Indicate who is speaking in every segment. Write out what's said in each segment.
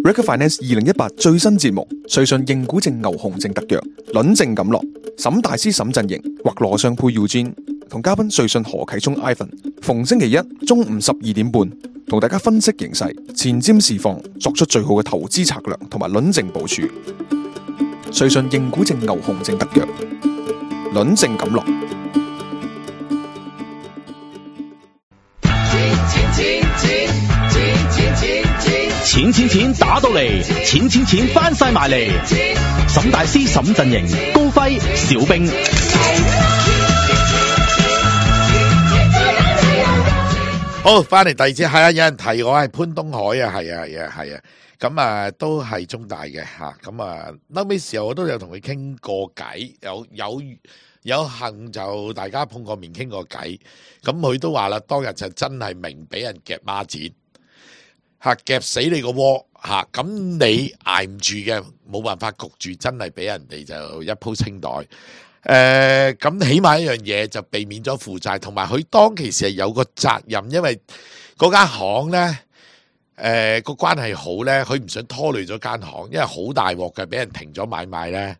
Speaker 1: Recruit Finance 2018最新節目，瑞信認股證牛熊證特約，輪證錦落，沈大師沈陣營或羅尚佩 Eugene 同嘉賓瑞信何啟聰 Ivan， 逢星期一中午12點半，同大家分析形勢、前瞻市況，作出最好嘅投資策略同埋輪證部署。瑞信認股證牛熊證特約，輪證錦落。
Speaker 2: 錢打到嚟，錢翻晒埋嚟。沈大師沈陣營，高輝小兵。
Speaker 3: 好，翻嚟第二節，係啊，有人提我係潘東海啊，係啊，咁啊都係中大嘅吓，咁啊後尾時候我都有同佢傾過偈，有幸就大家碰過面傾過偈，咁佢都話啦，當日就真係明俾人夾孖展。夾死你個窩吓，咁你捱唔住嘅，冇辦法焗住，真係俾人哋就一鋪清袋。咁起碼一樣嘢就避免咗負債，同埋佢當其時係有個責任，因為嗰間行咧，個關係好咧，佢唔想拖累咗間行，因為好大鑊嘅，俾人停咗買賣咧，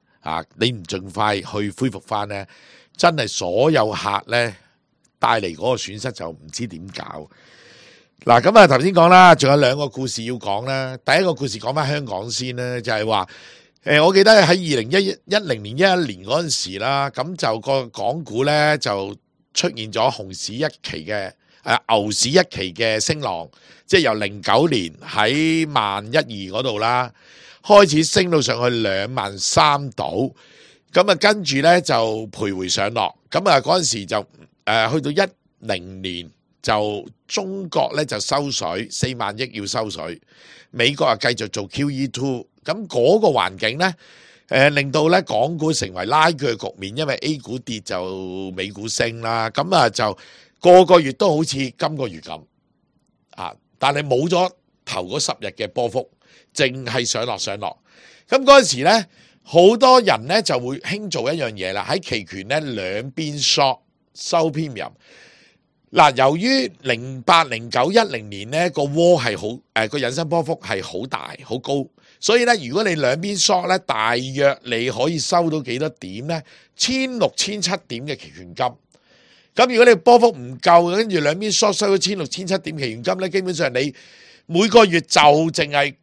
Speaker 3: 你唔盡快去恢復翻咧，真係所有客咧帶嚟嗰個損失就唔知點搞。嗱，咁啊頭先講啦，仲有兩個故事要講啦。第一個故事講翻香港先啦，就係話，我記得喺2010年11年嗰陣時啦，咁就個港股咧就出現咗熊市一期嘅牛市一期嘅升浪，即係由09年喺11200嗰度啦，開始升到上去23000度，咁啊跟住咧就徘徊上落，咁啊嗰陣時就去到10年。就中國咧就收水4萬億要收水，美國啊繼續做 QE2， 咁嗰個環境咧，令到咧港股成為拉鋸局面，因為 A 股跌就美股升啦，咁啊就個月都好似今個月咁但係冇咗頭嗰10日嘅波幅，淨係上落。咁嗰陣時咧，好多人咧就會興做一樣嘢啦，喺期權咧兩邊 short 收 premium。嗱，由於08、09、10年咧個窩係好個引伸波幅係好大好高，所以咧如果你兩邊 short 咧，大約你可以收到幾多點咧？1600、1700點嘅期權金。咁如果你波幅唔夠，跟住兩邊 short 收到1600、1700點期權金咧，基本上你每個月就淨係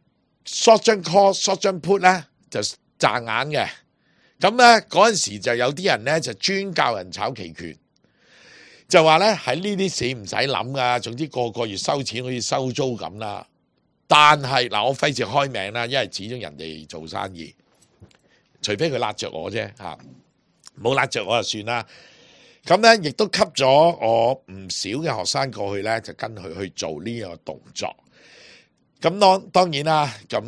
Speaker 3: short 張 call、short 張 put 咧就賺硬嘅。咁咧嗰陣時就有啲人咧就專教人炒期權。就話咧喺呢啲市唔使諗噶，總之個月收錢好似收租咁啦。但係嗱，我費事開名啦，因為始終人哋做生意，除非佢揦着我啫嚇，冇揦着我就算啦。咁咧亦都吸咗我唔少嘅學生過去咧，就跟佢去做呢個動作。咁當然啦，咁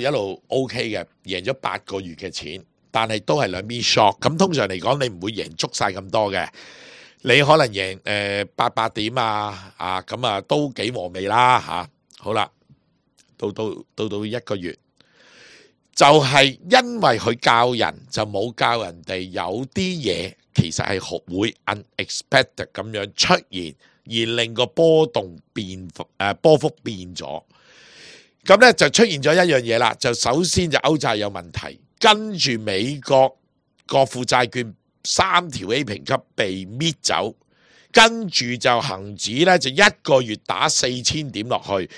Speaker 3: 一路 OK 嘅，贏咗8個月嘅錢，但係都係兩邊 short。咁通常嚟講，你唔會贏足晒咁多嘅。你可能贏800點咁啊都幾和味啦嚇。好啦，到1個月，就係因為佢教人就冇教人哋有啲嘢其實係會 unexpected 咁樣出現，而令個波幅變咗。咁咧就出現咗一樣嘢啦，就首先就歐債有問題，跟住美國國庫債券3條 A 評級被搣走，跟住就恒指咧就1個月打4000點落去，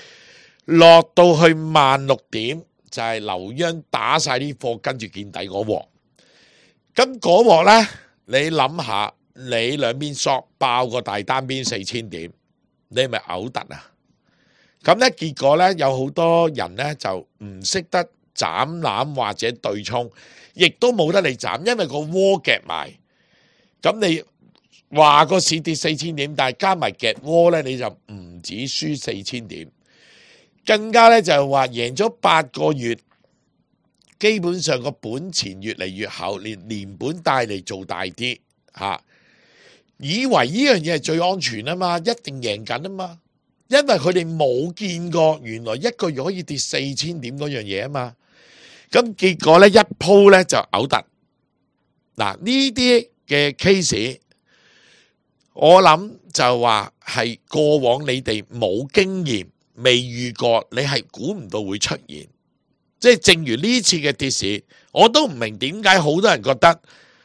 Speaker 3: 落到去16000點，就係留央打晒啲貨，跟住見底嗰鑊。咁嗰鑊咧，你諗下，你兩邊索爆個大單邊4000點，你係咪嘔突啊？咁咧結果咧有好多人咧就唔識得斬攬或者對沖。亦都冇得你斬，因為個窩夾埋。咁你話個市跌4000點，但係加埋夾窩咧，你就唔止輸4000點，更加咧就係話贏咗8個月，基本上個本錢越嚟越厚，連本帶嚟做大啲以為呢樣嘢係最安全啊嘛，一定贏緊啊嘛，因為佢哋冇見過原來1個月可以跌4000點嗰樣嘢啊嘛。咁結果咧一鋪咧就嘔突。嗱，呢啲嘅 case， 我諗就話係過往你哋冇經驗，未遇過，你係估唔到會出現。即係正如呢次嘅跌市，我都唔明點解好多人覺得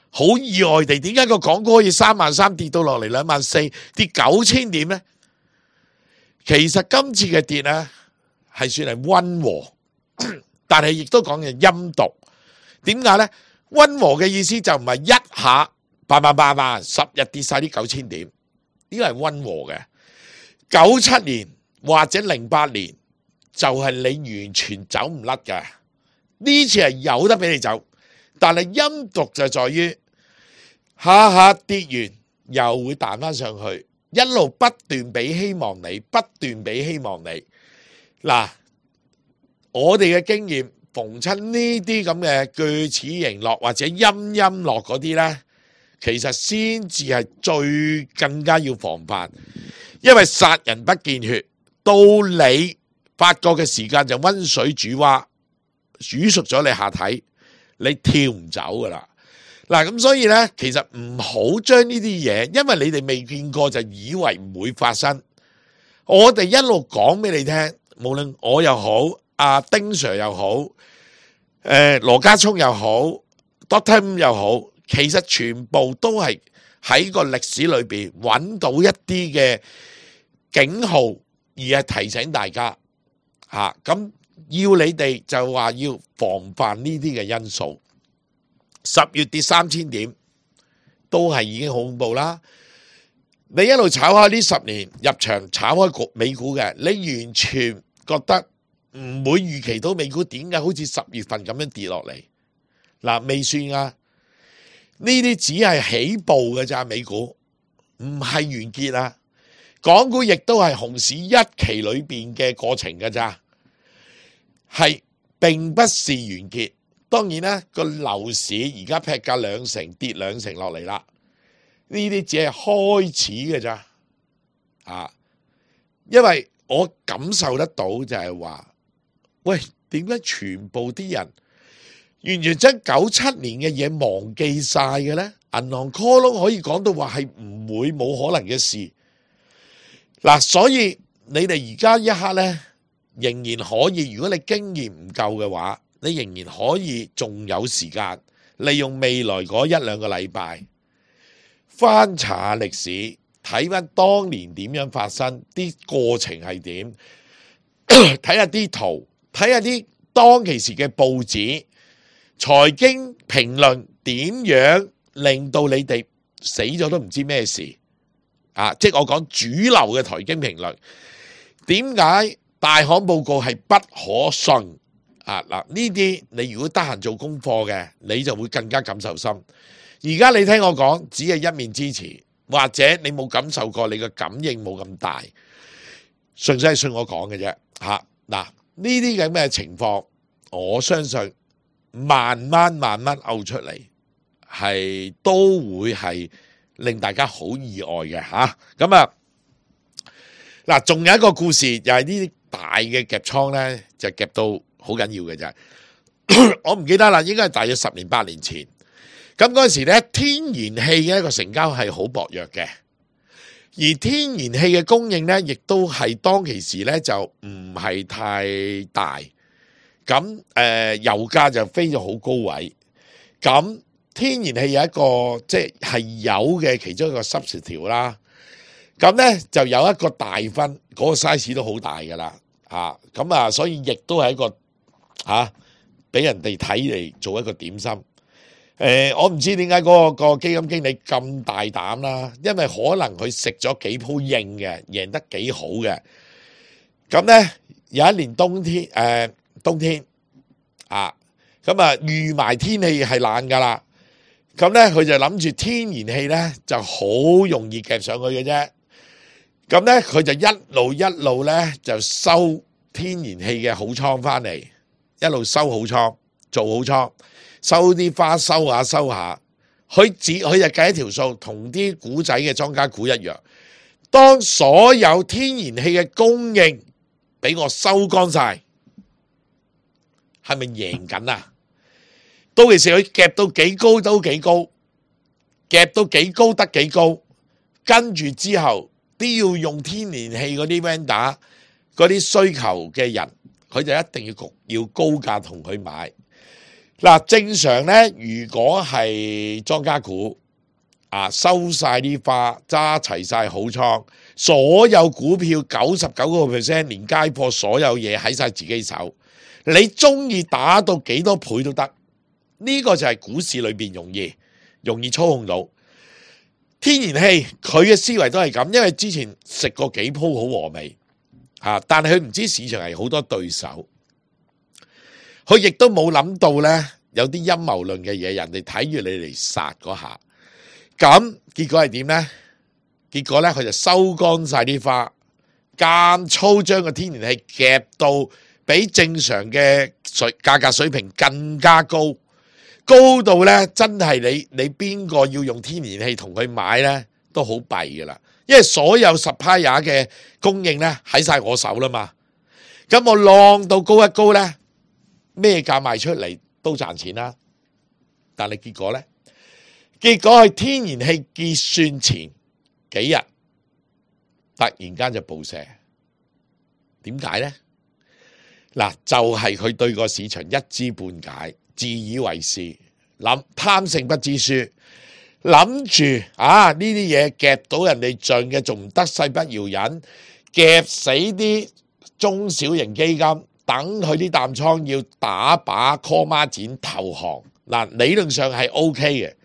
Speaker 3: 好意外地，點解個港股可以33000跌到落嚟24000，跌9000點呢？其實今次嘅跌呢係算係溫和，但係亦都講嘅陰毒。點解呢？溫和嘅意思就唔係一下10日跌晒啲9000點，呢個係溫和嘅。97年或者08年就係你完全走唔甩嘅，呢次係有得俾你走，但係陰毒就在於下下跌完又會彈翻上去，一路不斷俾希望你，不斷俾希望你。嗱，我哋嘅經驗，逢親呢啲咁嘅鋸齒形落或者陰落嗰啲呢，其實先至係最更加要防範，因為殺人不見血，到你發覺嘅時間就溫水煮蛙，煮熟咗你下體，你跳唔走噶啦。嗱，咁所以呢，其實唔好將呢啲嘢，因為你哋未見過就以為唔會發生。我哋一路講俾你聽，無論我又好，阿丁 Sir 又好，羅家聰又好 ，Doctor M 又好，其實全部都係喺個歷史裏邊揾到一啲嘅警號，而係提醒大家嚇。咁要你哋就話要防範呢啲嘅因素。10月跌3000點，都係已經好恐怖啦。你一路炒開呢10年入場炒開美股嘅，你完全覺得唔會預期到美股點解好似10月份咁樣跌落嚟？嗱，未算啊，呢啲只係起步嘅咋，美股唔係完結啊。港股亦都係熊市一期裏邊嘅過程嘅咋，係並不是完結。當然啦，個樓市而家劈價2成，跌2成落嚟啦。呢啲只係開始嘅咋，啊！因為我感受得到就係話，喂，點解全部啲人完全將97年嘅嘢忘記晒嘅呢？銀行 call loan 可以講到話係唔會冇可能嘅事。嗱，所以你哋而家一刻呢，仍然可以，如果你經驗唔夠嘅話，你仍然可以仲有時間，利用未來嗰1-2個禮拜翻查歷史，睇翻當年點樣發生，啲過程係點，睇下啲圖，睇下啲當其時嘅報紙、財經評論點樣令到你哋死咗都唔知咩事啊！即係我講主流嘅財經評論，點解大行報告係不可信？啊嗱，呢啲你如果得閒做功課嘅，你就會更加感受深。而家你聽我講，只係一面之詞，或者你冇感受過，你嘅感應冇咁大，純粹係信我講嘅啫。嚇嗱，呢啲咁嘅情況，我相信慢慢嘔出嚟，係都會係令大家好意外嘅嚇。咁啊嗱，仲有一個故事，又係呢啲大嘅夾倉咧，就夾到好緊要嘅就係，我唔記得啦，應該係大約10年8年前。咁嗰陣時咧，天然氣嘅一個成交係好薄弱嘅，而天然氣嘅供應咧，亦都係當其時咧就唔係太大。咁油價就飛咗好高位。咁天然氣有一個即係油嘅其中一個substitute啦。咁咧就有一個大分，嗰個 size 都好大噶啦。咁啊，所以亦都係一個俾人哋睇嚟做一個點心。我唔知點解嗰個基金經理咁大膽啦，因為可能佢食咗幾鋪應嘅，贏得幾好嘅。咁咧有一年冬天咁啊預埋天氣係冷噶啦，咁咧佢就諗住天然氣咧就好容易夾上去嘅啫。咁咧佢就一路咧就收天然氣嘅好倉翻嚟，一路收好倉，做好倉。收啲花收下，佢就計一條數，同啲股仔嘅莊家股一樣。當所有天然氣嘅供應俾我收乾晒，係咪贏緊啊？到其時佢夾到幾高都幾高，夾到幾高得幾高，跟住之後都要用天然氣嗰啲 vendor 嗰啲需求嘅人佢就一定要高價同佢買。嗱，正常咧，如果係莊家股收晒啲花，揸齊晒好倉，所有股票99%連街貨所有嘢喺晒自己手，你中意打到幾多倍都得。呢個就係股市裏邊容易操控到。天然氣佢嘅思維都係咁，因為之前食過幾鋪好和味但係佢唔知市場係好多對手，佢亦都冇諗到呢，有啲陰謀論嘅嘢，人哋睇住你嚟殺嗰下，咁結果係點呢？結果呢，佢就收乾晒啲花，間粗將個天然氣夾到比正常嘅價格水平更加高。高到咧，真係你邊個要用天然氣同佢買咧，都好弊噶啦。因為所有supplier嘅供應咧喺晒我手啦嘛。咁我浪到高一高咧，咩價賣出嚟都賺錢啦。但係結果咧，結果係天然氣結算前幾日突然間就暴瀉。點解咧？嗱，就係佢對個市場一知半解。自以為是，貪勝不知輸，諗住呢啲嘢夾到人哋盡嘅，仲唔得勢不饒人，夾死啲中小型基金，等佢啲淡倉要打靶 call 孖展投降。嗱，理論上係 OK 嘅，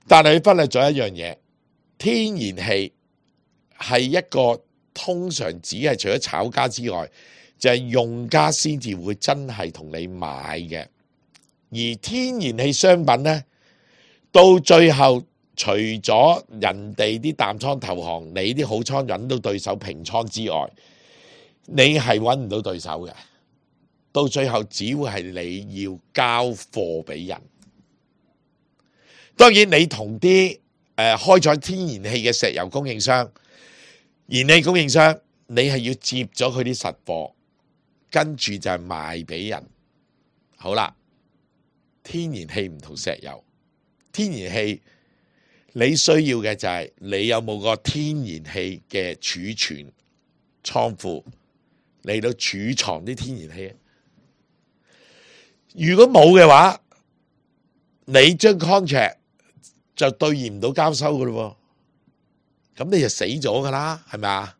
Speaker 3: 但係佢忽略咗一樣嘢，天然氣係一個通常只係除咗炒家之外，就係用家先至會真係同你買嘅。而天然氣商品呢，到最後除咗人哋啲淡倉投降，你啲好倉揾到對手平倉之外，你係揾唔到對手嘅。到最後只會係你要交貨俾人。當然你同啲開採天然氣嘅石油供應商、燃氣供應商，你係要接咗佢啲實貨，跟住就係賣俾人。好啦。天然氣唔同石油，天然氣你需要嘅就係你有冇個天然氣嘅儲存倉庫嚟到儲藏啲天然氣。如果冇嘅話，你將 contract 就兌現唔到交收噶咯，咁你就死咗噶啦，係咪啊？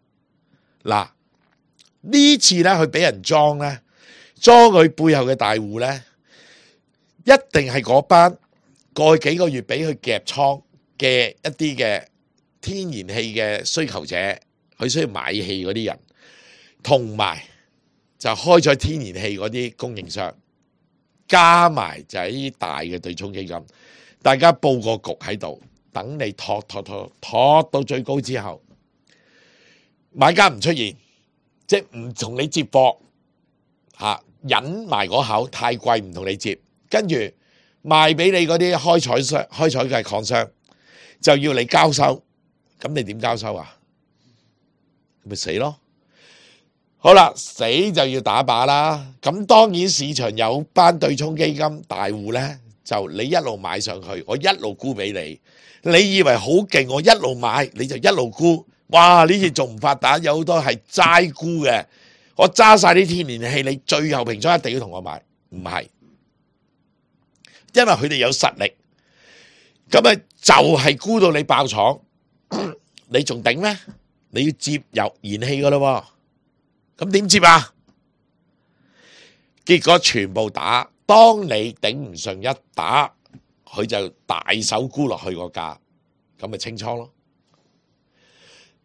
Speaker 3: 嗱，呢次咧佢俾人裝咧，裝佢背後嘅大戶咧。一定係嗰班過去幾個月俾佢夾倉嘅一啲嘅天然氣嘅需求者，佢需要買氣嗰啲人，同埋就開咗天然氣嗰啲供應商，加埋就係呢啲大嘅對沖基金，大家佈個局喺度，等你托到最高之後，買家唔出現，即係唔同你接貨忍埋嗰口，太貴唔同你接。跟住賣俾你嗰啲開採嘅礦商，就要你交收，咁你點交收啊？咪死咯！好啦，死就要打靶啦。咁當然市場有班對沖基金大戶呢，就你一路買上去，我一路沽俾你。你以為好勁，我一路買你就一路沽。哇！呢次仲唔發達，有好多係齋沽嘅。我揸晒啲天然氣，你最後平倉一定要同我買，唔係。因為佢哋有實力，咁就係沽到你爆廠，你仲頂咩？你要接油燃氣噶啦，咁點接啊？結果全部打，當你頂唔順一打，佢就大手沽落去個價，咁咪清倉咯。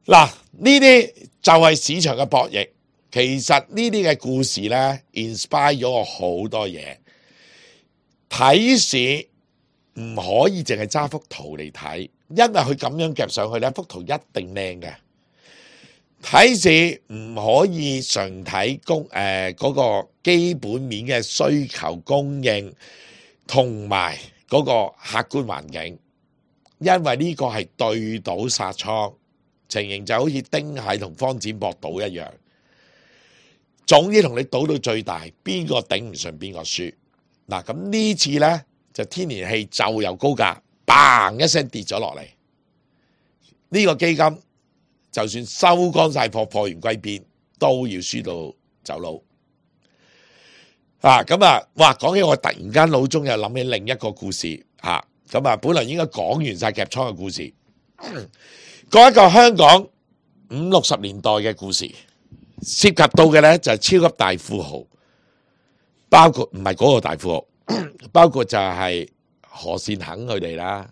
Speaker 3: 嗱，呢啲就係市場嘅博弈。其實呢啲嘅故事呢 inspire 咗我好多嘢。睇市唔可以淨係揸幅圖嚟睇，因為佢咁樣夾上去呢幅圖一定靚嘅。睇市唔可以純睇嗰個基本面嘅需求供應同埋嗰個客觀環境，因為呢個係對賭殺倉，情形就好似丁蟹同方展博賭一樣，總之同你賭到最大，邊個頂唔順邊個輸。嗱，咁呢次呢，就天然氣就由高價嘭一聲跌咗落嚟，呢個基金就算收乾晒貨，貨源歸邊，都要輸到走佬。咁啊，哇！講起我突然間腦中又諗起另一個故事咁本來應該講完晒夾倉嘅故事，講一個香港50-60年代嘅故事，涉及到嘅咧就係超級大富豪，包括唔係嗰個大富豪，包括就係何善肯佢哋啦，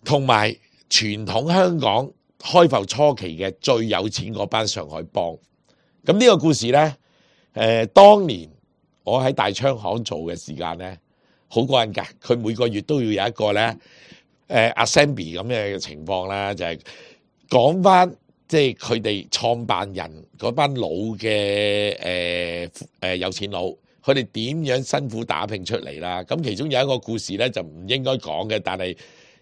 Speaker 3: 同埋傳統香港開埠初期嘅最有錢嗰班上海幫。咁呢個故事咧，當年我喺大昌行做嘅時間咧，好過癮㗎。佢每個月都要有一個咧，assembly 咁嘅情況啦，就係講翻即係佢哋創辦人嗰班老嘅有錢佬，佢哋點樣辛苦打拼出嚟啦。咁其中有一個故事咧就唔應該講嘅，但係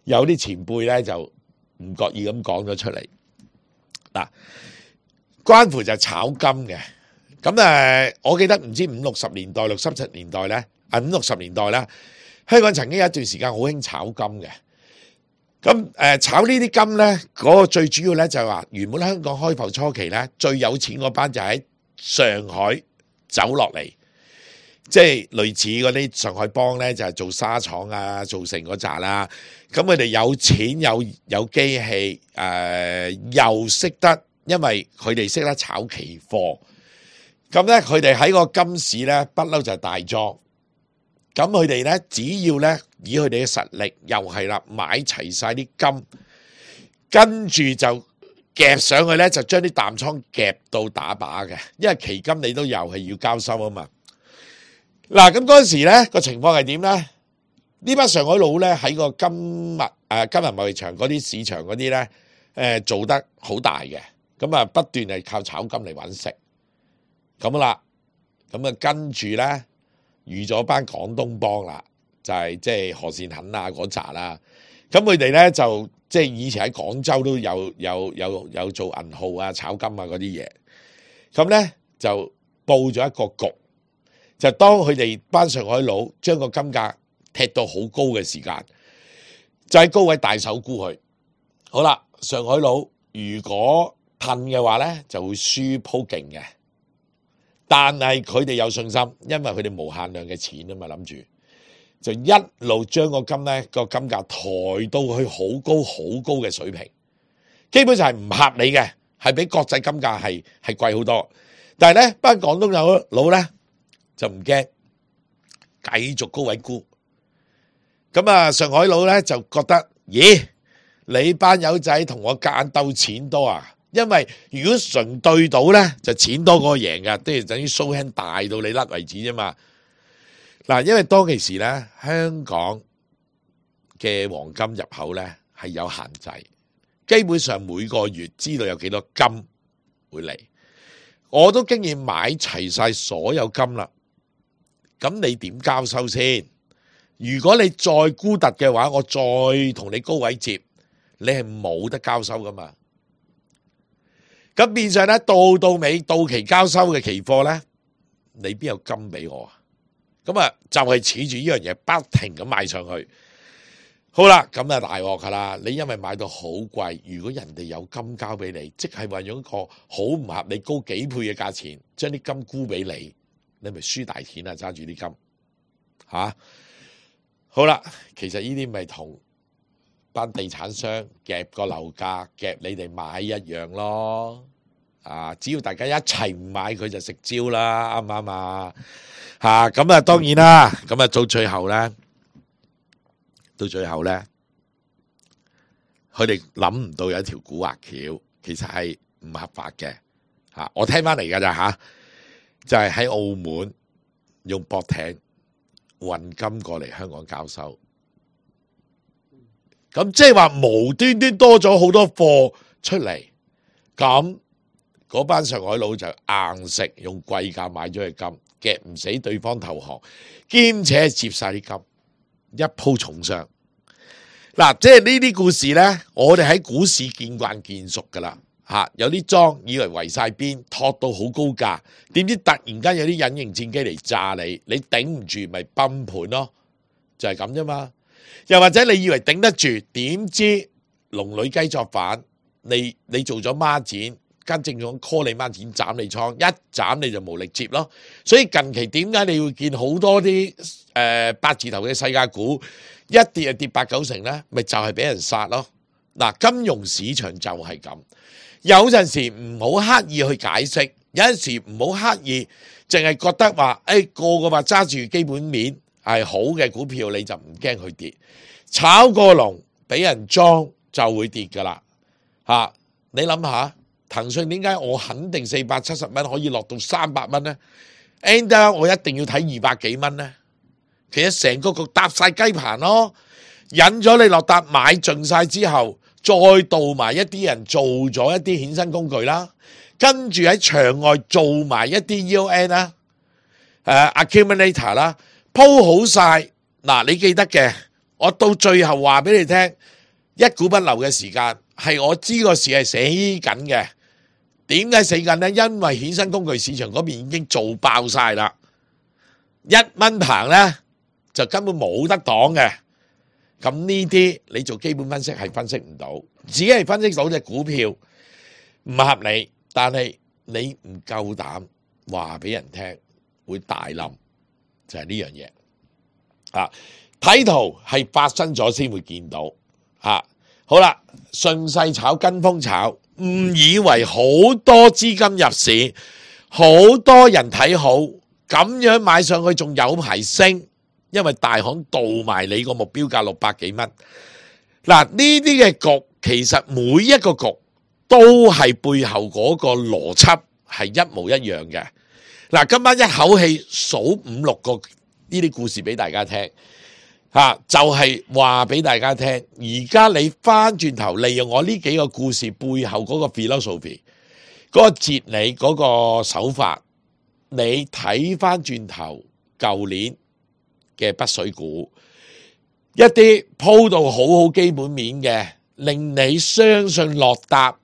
Speaker 3: 有啲前輩咧就唔覺意咁講咗出嚟。嗱，關乎就係炒金嘅。咁我記得唔知50-60年代、60-70年代咧，50-60年代啦，香港曾經有一段時間好興炒金嘅。咁炒呢啲金咧，嗰個最主要咧就係話，原本香港開埠初期咧，最有錢嗰班就喺上海走落嚟，即係類似嗰啲上海幫咧，就係做沙廠啊、做成嗰扎啦。咁佢哋有錢有機器，又識得，因為佢哋識得炒期貨。咁咧，佢哋喺個金市咧，不嬲就係大莊。咁佢哋咧，只要咧以佢哋嘅實力，又係啦，買齊晒啲金，跟住就夾上去咧，就將啲淡倉夾到打靶嘅。因為期金你都又係要交收啊嘛。嗱，咁嗰陣時咧個情況係點咧？呢班上海佬咧喺個金銀貿易場嗰啲市場嗰啲咧，做得好大嘅。咁啊，不斷係靠炒金嚟揾食。咁啦，咁啊跟住咧預咗班廣東幫啦，就係即係何善肯啊嗰扎啦。咁佢哋咧就即係以前喺廣州都有做銀號啊、炒金啊嗰啲嘢。咁咧就佈咗一個局，就當佢哋班上海佬將個金價踢到好高嘅時間，就喺高位大手沽佢。好啦，上海佬如果褪嘅話咧，就會輸鋪勁嘅。但係佢哋有信心，因為佢哋無限量嘅錢啊嘛，諗住就一路將個金咧個金價抬到去好高嘅水平，基本上係唔合理嘅，係比國際金價係貴好多。但係咧班廣東佬咧就唔驚，繼續高位沽。咁啊，上海佬咧就覺得，咦，你班友仔同我夾硬鬥錢多啊！因為如果純對賭咧，就錢多過贏噶，都係等於 show hand 大到你甩為止啫嘛。嗱，因為當其時咧，香港嘅黃金入口咧係有限制，基本上每個月知道有幾多金會嚟，我都經驗買齊晒所有金啦。咁你點交收先？如果你再沽突嘅話，我再同你高位接，你係冇得交收噶嘛。咁變相咧，到尾到期交收嘅期貨咧，你邊有金俾我啊？咁啊，就係恃住呢樣嘢，不停咁買上去。好啦，咁啊大鑊噶啦！你因為買到好貴，如果人哋有金交俾你，即係話用一個好唔合理高幾倍嘅價錢，將啲金沽俾你，你咪輸大錢啊！揸住啲金吓。好啦，其實呢啲咪同班地產商夾個樓價夾你哋買一樣咯，只要大家一齊唔買佢就食蕉啦，啱唔啱啊？咁啊當然啦，咁啊到最後咧，佢哋諗唔到有一條古惑橋，其實係唔合法嘅，我聽翻嚟噶咋就係喺澳門用駁艇運金過嚟香港交收。咁即係話無端端多咗好多貨出嚟，咁嗰班上海佬就硬食，用貴價買咗嘅金，夾唔死對方投降，兼且接晒啲金，一鋪重傷。嗱，即係呢啲故事呢，我哋喺股市見慣見熟噶啦，有啲莊以為圍晒邊，托到好高價，點知突然間有啲隱形戰機嚟炸你，你頂唔住咪崩盤咯，就係咁啫嘛。又或者你以為頂得住，點知龍女雞作反，你做咗孖展，間證券 call 你孖展斬你倉，一斬你就無力接咯。所以近期點解你會見好多啲八字頭嘅世界股一跌就跌8-9成咧？咪就係俾人殺咯。嗱，金融市場就係咁，有陣時唔好刻意去解釋，有陣時唔好刻意淨係覺得話，個個話揸住基本面係好嘅股票你就唔驚佢跌，炒過龍俾人裝就會跌噶啦。你諗下，騰訊點解我肯定470蚊可以落到300蚊呢？ Ender 我一定要睇200幾蚊呢？其實成個局搭晒雞棚咯，引咗你落搭買盡晒之後，再導埋一啲人做咗一啲衍生工具啦，跟住喺場外做埋一啲 EON 啦，accumulator 啦，鋪好晒。嗱，你記得嘅，我到最後話俾你聽，一股不留嘅時間係我知個市係死緊嘅。點解死緊呢？因為衍生工具市場嗰邊已經做爆晒啦，1蚊棚呢就根本冇得擋嘅。咁呢啲你做基本分析係分析唔到，只係分析到隻股票唔合理，但係你唔夠膽話俾人聽會大冧，就係呢樣嘢。睇圖係發生咗先會見到。好啦，順勢炒跟風炒，誤以為好多資金入市，好多人睇好，咁樣買上去仲有排升，因為大行導埋你個目標價600幾蚊。嗱，呢啲嘅局其實每一個局都係背後嗰個邏輯係一模一樣嘅。嗱，今晚一口氣數5-6個呢啲故事俾大家聽。就係話俾大家聽，而家你翻轉頭利用我呢幾個故事背後嗰個 philosophy， 嗰個哲理，嗰個手法，你睇翻轉頭舊年嘅北水股，一啲鋪到好好基本面嘅，令你相信落搭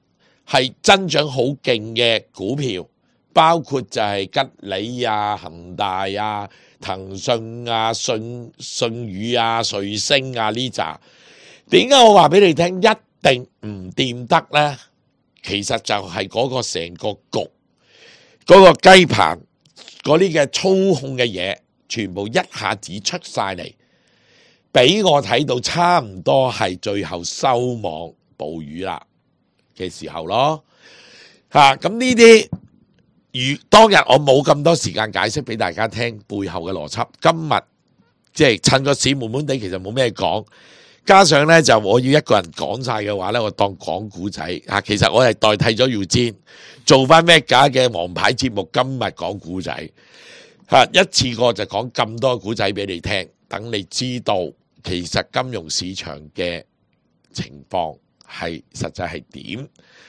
Speaker 3: 係增長好勁嘅股票，包括就係吉利啊、恒大啊、騰訊啊、信宇啊、瑞星啊呢扎，點解我話俾你聽一定唔掂得呢？其實就係嗰個成個局，嗰個雞棚嗰啲嘅操控嘅嘢，全部一下子出晒嚟，俾我睇到差唔多係最後收網捕魚啦嘅時候咯。咁呢啲。當日我冇咁多時間解釋俾大家聽背後嘅邏輯，今日即係趁個市悶悶地，其實冇咩講，加上呢，就我要一個人講晒嘅話呢，我當講古仔。其實我係代替咗Eugene做翻咩假嘅王牌節目，今日講古仔，一次過就講咁多古仔俾你聽，等你知道其實金融市場嘅情況係實際係點。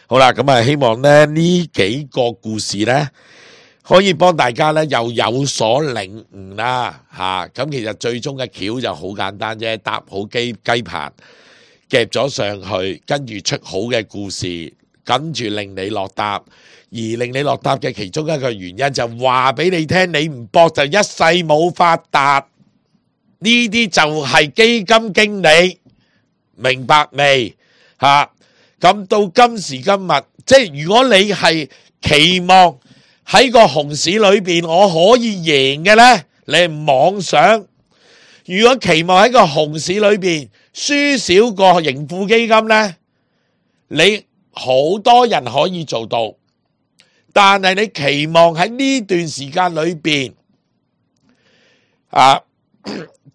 Speaker 3: 好啦，咁希望呢幾個故事呢，可以幫大家呢又有所領悟啦。咁其實最終嘅橋就好簡單啫，搭好雞棚夾咗上去，跟住出好嘅故事，跟住令你落搭。而令你落搭嘅其中一個原因就話俾你聽，你唔搏就一世冇發達。呢啲就係基金經理，明白未？咁到今時今日，即係如果你係期望喺個熊市裏邊我可以贏嘅呢，你係妄想；如果期望喺個熊市裏邊輸少過盈富基金呢，你好多人可以做到，但係你期望喺呢段時間裏邊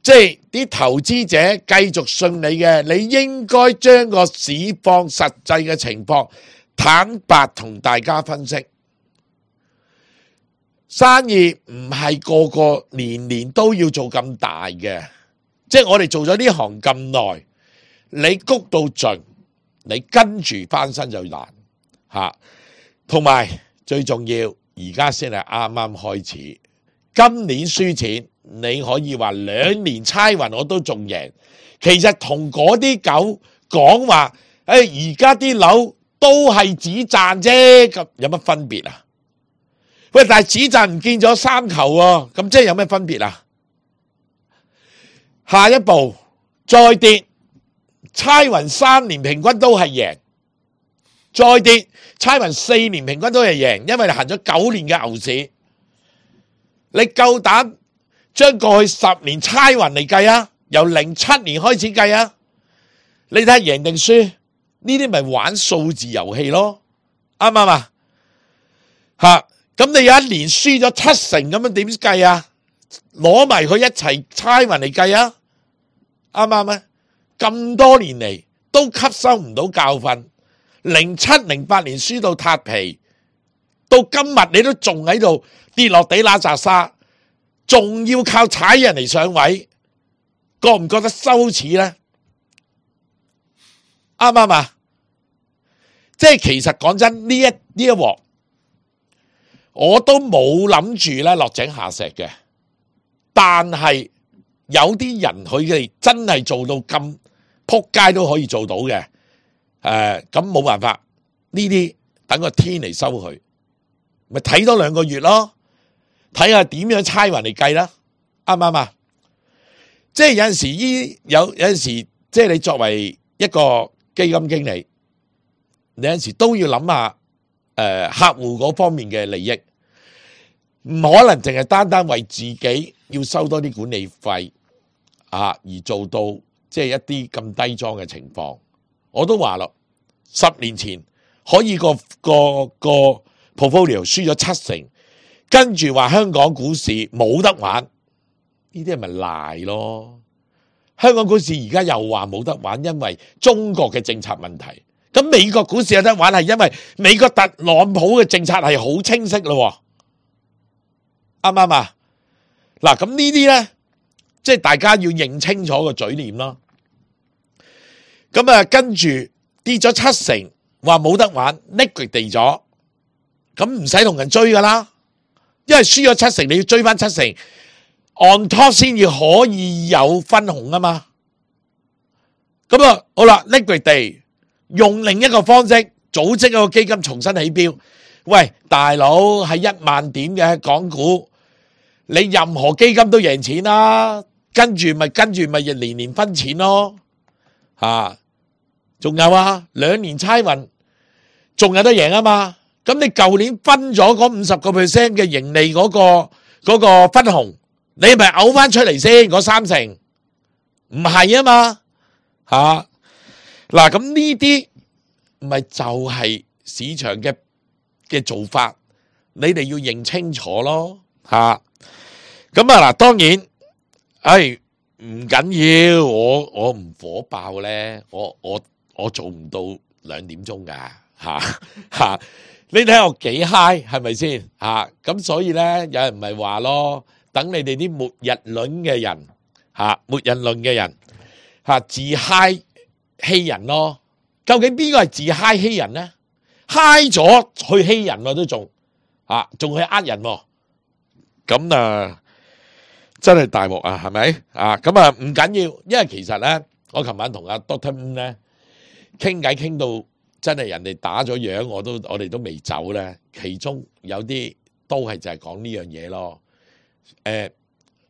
Speaker 3: 即係啲投資者繼續信你嘅，你應該將個市況實際嘅情況坦白同大家分析。生意唔係個個年年都要做咁大嘅，即係我哋做咗呢行咁耐，你谷到盡，你跟住翻身就難吓。同埋最重要，而家先係啱啱開始，今年輸錢。你可以話2年猜雲我都仲贏，其實同嗰啲狗講話，而家啲樓都係只賺啫，咁有乜分別啊？喂，但係只賺唔見咗3球喎，咁即係有咩分別啊？下一步再跌，猜雲3年平均都係贏，再跌，差民4年平均都係贏，因為你行咗9年嘅牛市。你夠膽將過去10年差勻嚟計啊？由07年開始計啊？你睇下贏定輸，呢啲咪玩數字遊戲咯，啱唔啱啊？咁你有一年輸咗7成咁樣點計啊？攞埋佢一齊差勻嚟計啊？啱唔啱啊？咁多年嚟都吸收唔到教訓，07、08年輸到塌皮，到今日你都仲喺度跌落地揦扎沙，仲要靠踩人嚟上位，覺唔覺得羞恥呢？啱唔啱啊？即係其實講真，呢一鑊，我都冇諗住咧落井下石嘅，但係有啲人佢哋真係做到咁撲街都可以做到嘅，咁冇辦法，呢啲等個天嚟收佢，咪睇多2個月咯，睇下點樣猜勻嚟計啦，啱唔啱啊？即係有陣時有陣時，即係你作為一個基金經理，你有陣時都要諗下客戶嗰方面嘅利益，唔可能淨係單單為自己要收多啲管理費而做到即係一啲咁低莊嘅情況。我都話咯，10年前可以個 portfolio 輸咗7成，跟住話香港股市冇得玩，呢啲係咪賴咯？香港股市而家又話冇得玩，因為中國嘅政策問題。咁美國股市有得玩係因為美國特朗普嘅政策係好清晰咯，啱唔啱啊？嗱，咁呢啲咧，即係大家要認清楚個嘴臉咯。咁跟住跌咗7成，話冇得玩 ，liquid 地咗，咁唔使同人追噶啦，因為輸咗7成，你要追翻7成 ，on top 先至可以有分紅啊嘛。咁好啦 ，liquid 地用另一個方式組織一個基金重新起標。喂，大佬係1萬點嘅港股，你任何基金都贏錢啦，跟住咪年年分錢咯，仲有2年差運，仲有得贏啊嘛。咁你舊年分咗嗰50% 嘅盈利嗰個分紅，你咪嘔翻出嚟先嗰3成，唔係啊嘛。嗱，咁呢啲咪就係市場嘅做法，你哋要認清楚咯。咁嗱，當然唔緊要，我唔火爆咧，我做唔到2點鐘噶，你睇下我幾 high 係咪先？咁所以咧，有人咪話咯，等你哋啲末日論嘅人自 high 欺人咯。究竟邊個係自 high 欺人咧？high 咗去欺人都仲去呃人，咁真係大鑊啊，係咪？咁唔緊要，因為其實咧，我琴晚同阿 Dr. 咧傾偈傾到真係人哋打咗樣，我哋都未走咧。其中有啲都係就係講呢樣嘢咯。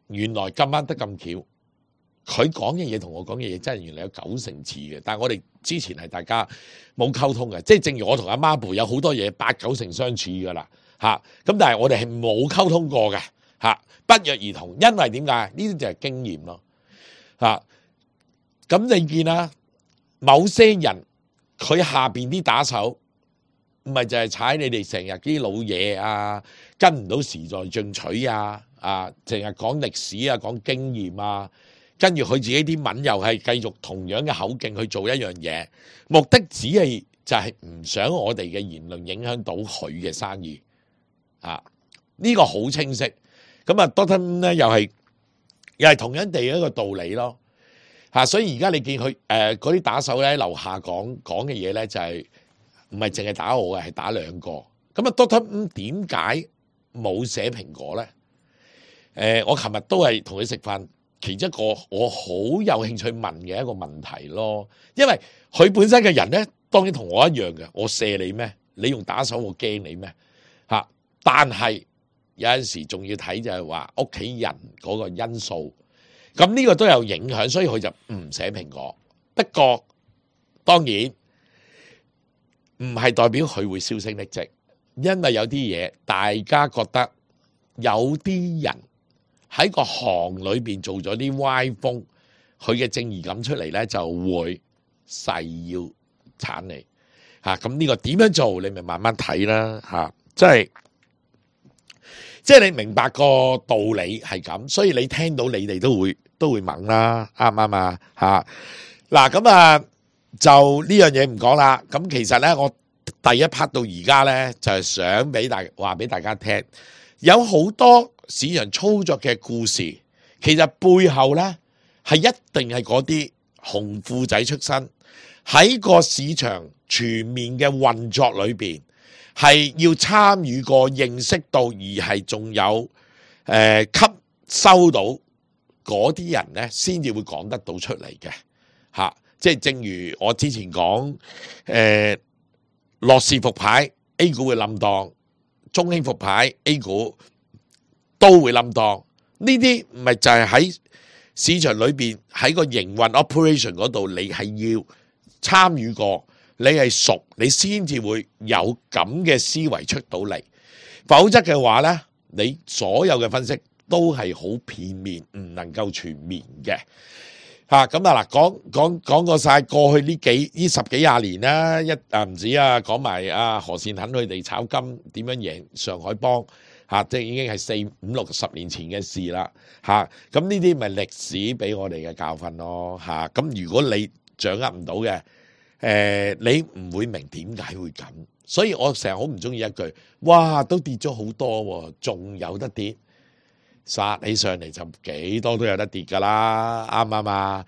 Speaker 3: 原來今晚得咁巧，佢講嘅嘢同我講嘅嘢真係原來有9成似嘅，但係我哋之前係大家冇溝通嘅，即係正如我同阿媽婆有好多嘢8、9成相似噶啦，咁但係我哋係冇溝通過嘅，不約而同，因為點解？呢啲就係經驗咯，咁你見啦，某些人佢下邊啲打手唔係就係踩你哋成日啲老嘢跟唔到時代進取淨係講歷史講經驗跟住佢自己啲文又係繼續同樣嘅口徑去做一樣嘢，目的只係就係唔想我哋嘅言論影響到佢嘅生意，呢個好清晰。咁Dr. 咧又係同樣地一個道理咯，所以而家你見佢嗰啲打手咧樓下講嘅嘢咧就係唔係淨係打我嘅，係打2個。咁Dr. 點解冇寫蘋果咧？我琴日都係同佢食飯。其中一個我好有興趣問嘅一個問題咯，因為佢本身嘅人咧，當然同我一樣嘅，我射你咩？你用打手我驚你咩？但係有陣時仲要睇就係話屋企人嗰個因素，咁呢個都有影響，所以佢就唔寫蘋果。不過當然唔係代表佢會銷聲匿跡，因為有啲嘢大家覺得有啲人喺個行裏邊做咗啲歪風，佢嘅正義感出嚟咧，就會誓要鏟你嚇。咁呢個點樣做？你咪慢慢睇啦嚇。即係你明白個道理係咁，所以你聽到你哋都會猛啦，啱唔啱啊嚇？嗱咁啊，就呢樣嘢唔講啦。咁其實咧，我第一 part 到而家咧，就係想話俾大家聽，有好多市場操作嘅故事，其實背後咧係一定係嗰啲紅褲仔出身，喺個市場全面嘅運作裏邊，係要參與過、認識到，而係仲有吸收到嗰啲人咧，先至會講得到出嚟嘅嚇。即係正如我之前講，樂視復牌 A 股會冧檔，中興復牌 A 股都會冧檔。呢啲唔係就係喺市場裏邊喺個營運 operation 嗰度，你係要參與過，你係熟，你先至會有咁嘅思維出到嚟。否則嘅話呢，你所有嘅分析都係好片面，唔能夠全面嘅。咁啊嗱，講過晒過去呢十幾廿年啦，唔止啊，講埋何善肯佢哋炒金點樣贏上海幫即係已經係4、5、60年前嘅事啦咁呢啲咪歷史俾我哋嘅教訓咯咁如果你掌握唔到嘅，你唔會明點解會咁，所以我成日好唔中意一句，哇都跌咗好多喎，仲有得跌。殺起上嚟就幾多都有得跌噶啦，啱唔啱啊？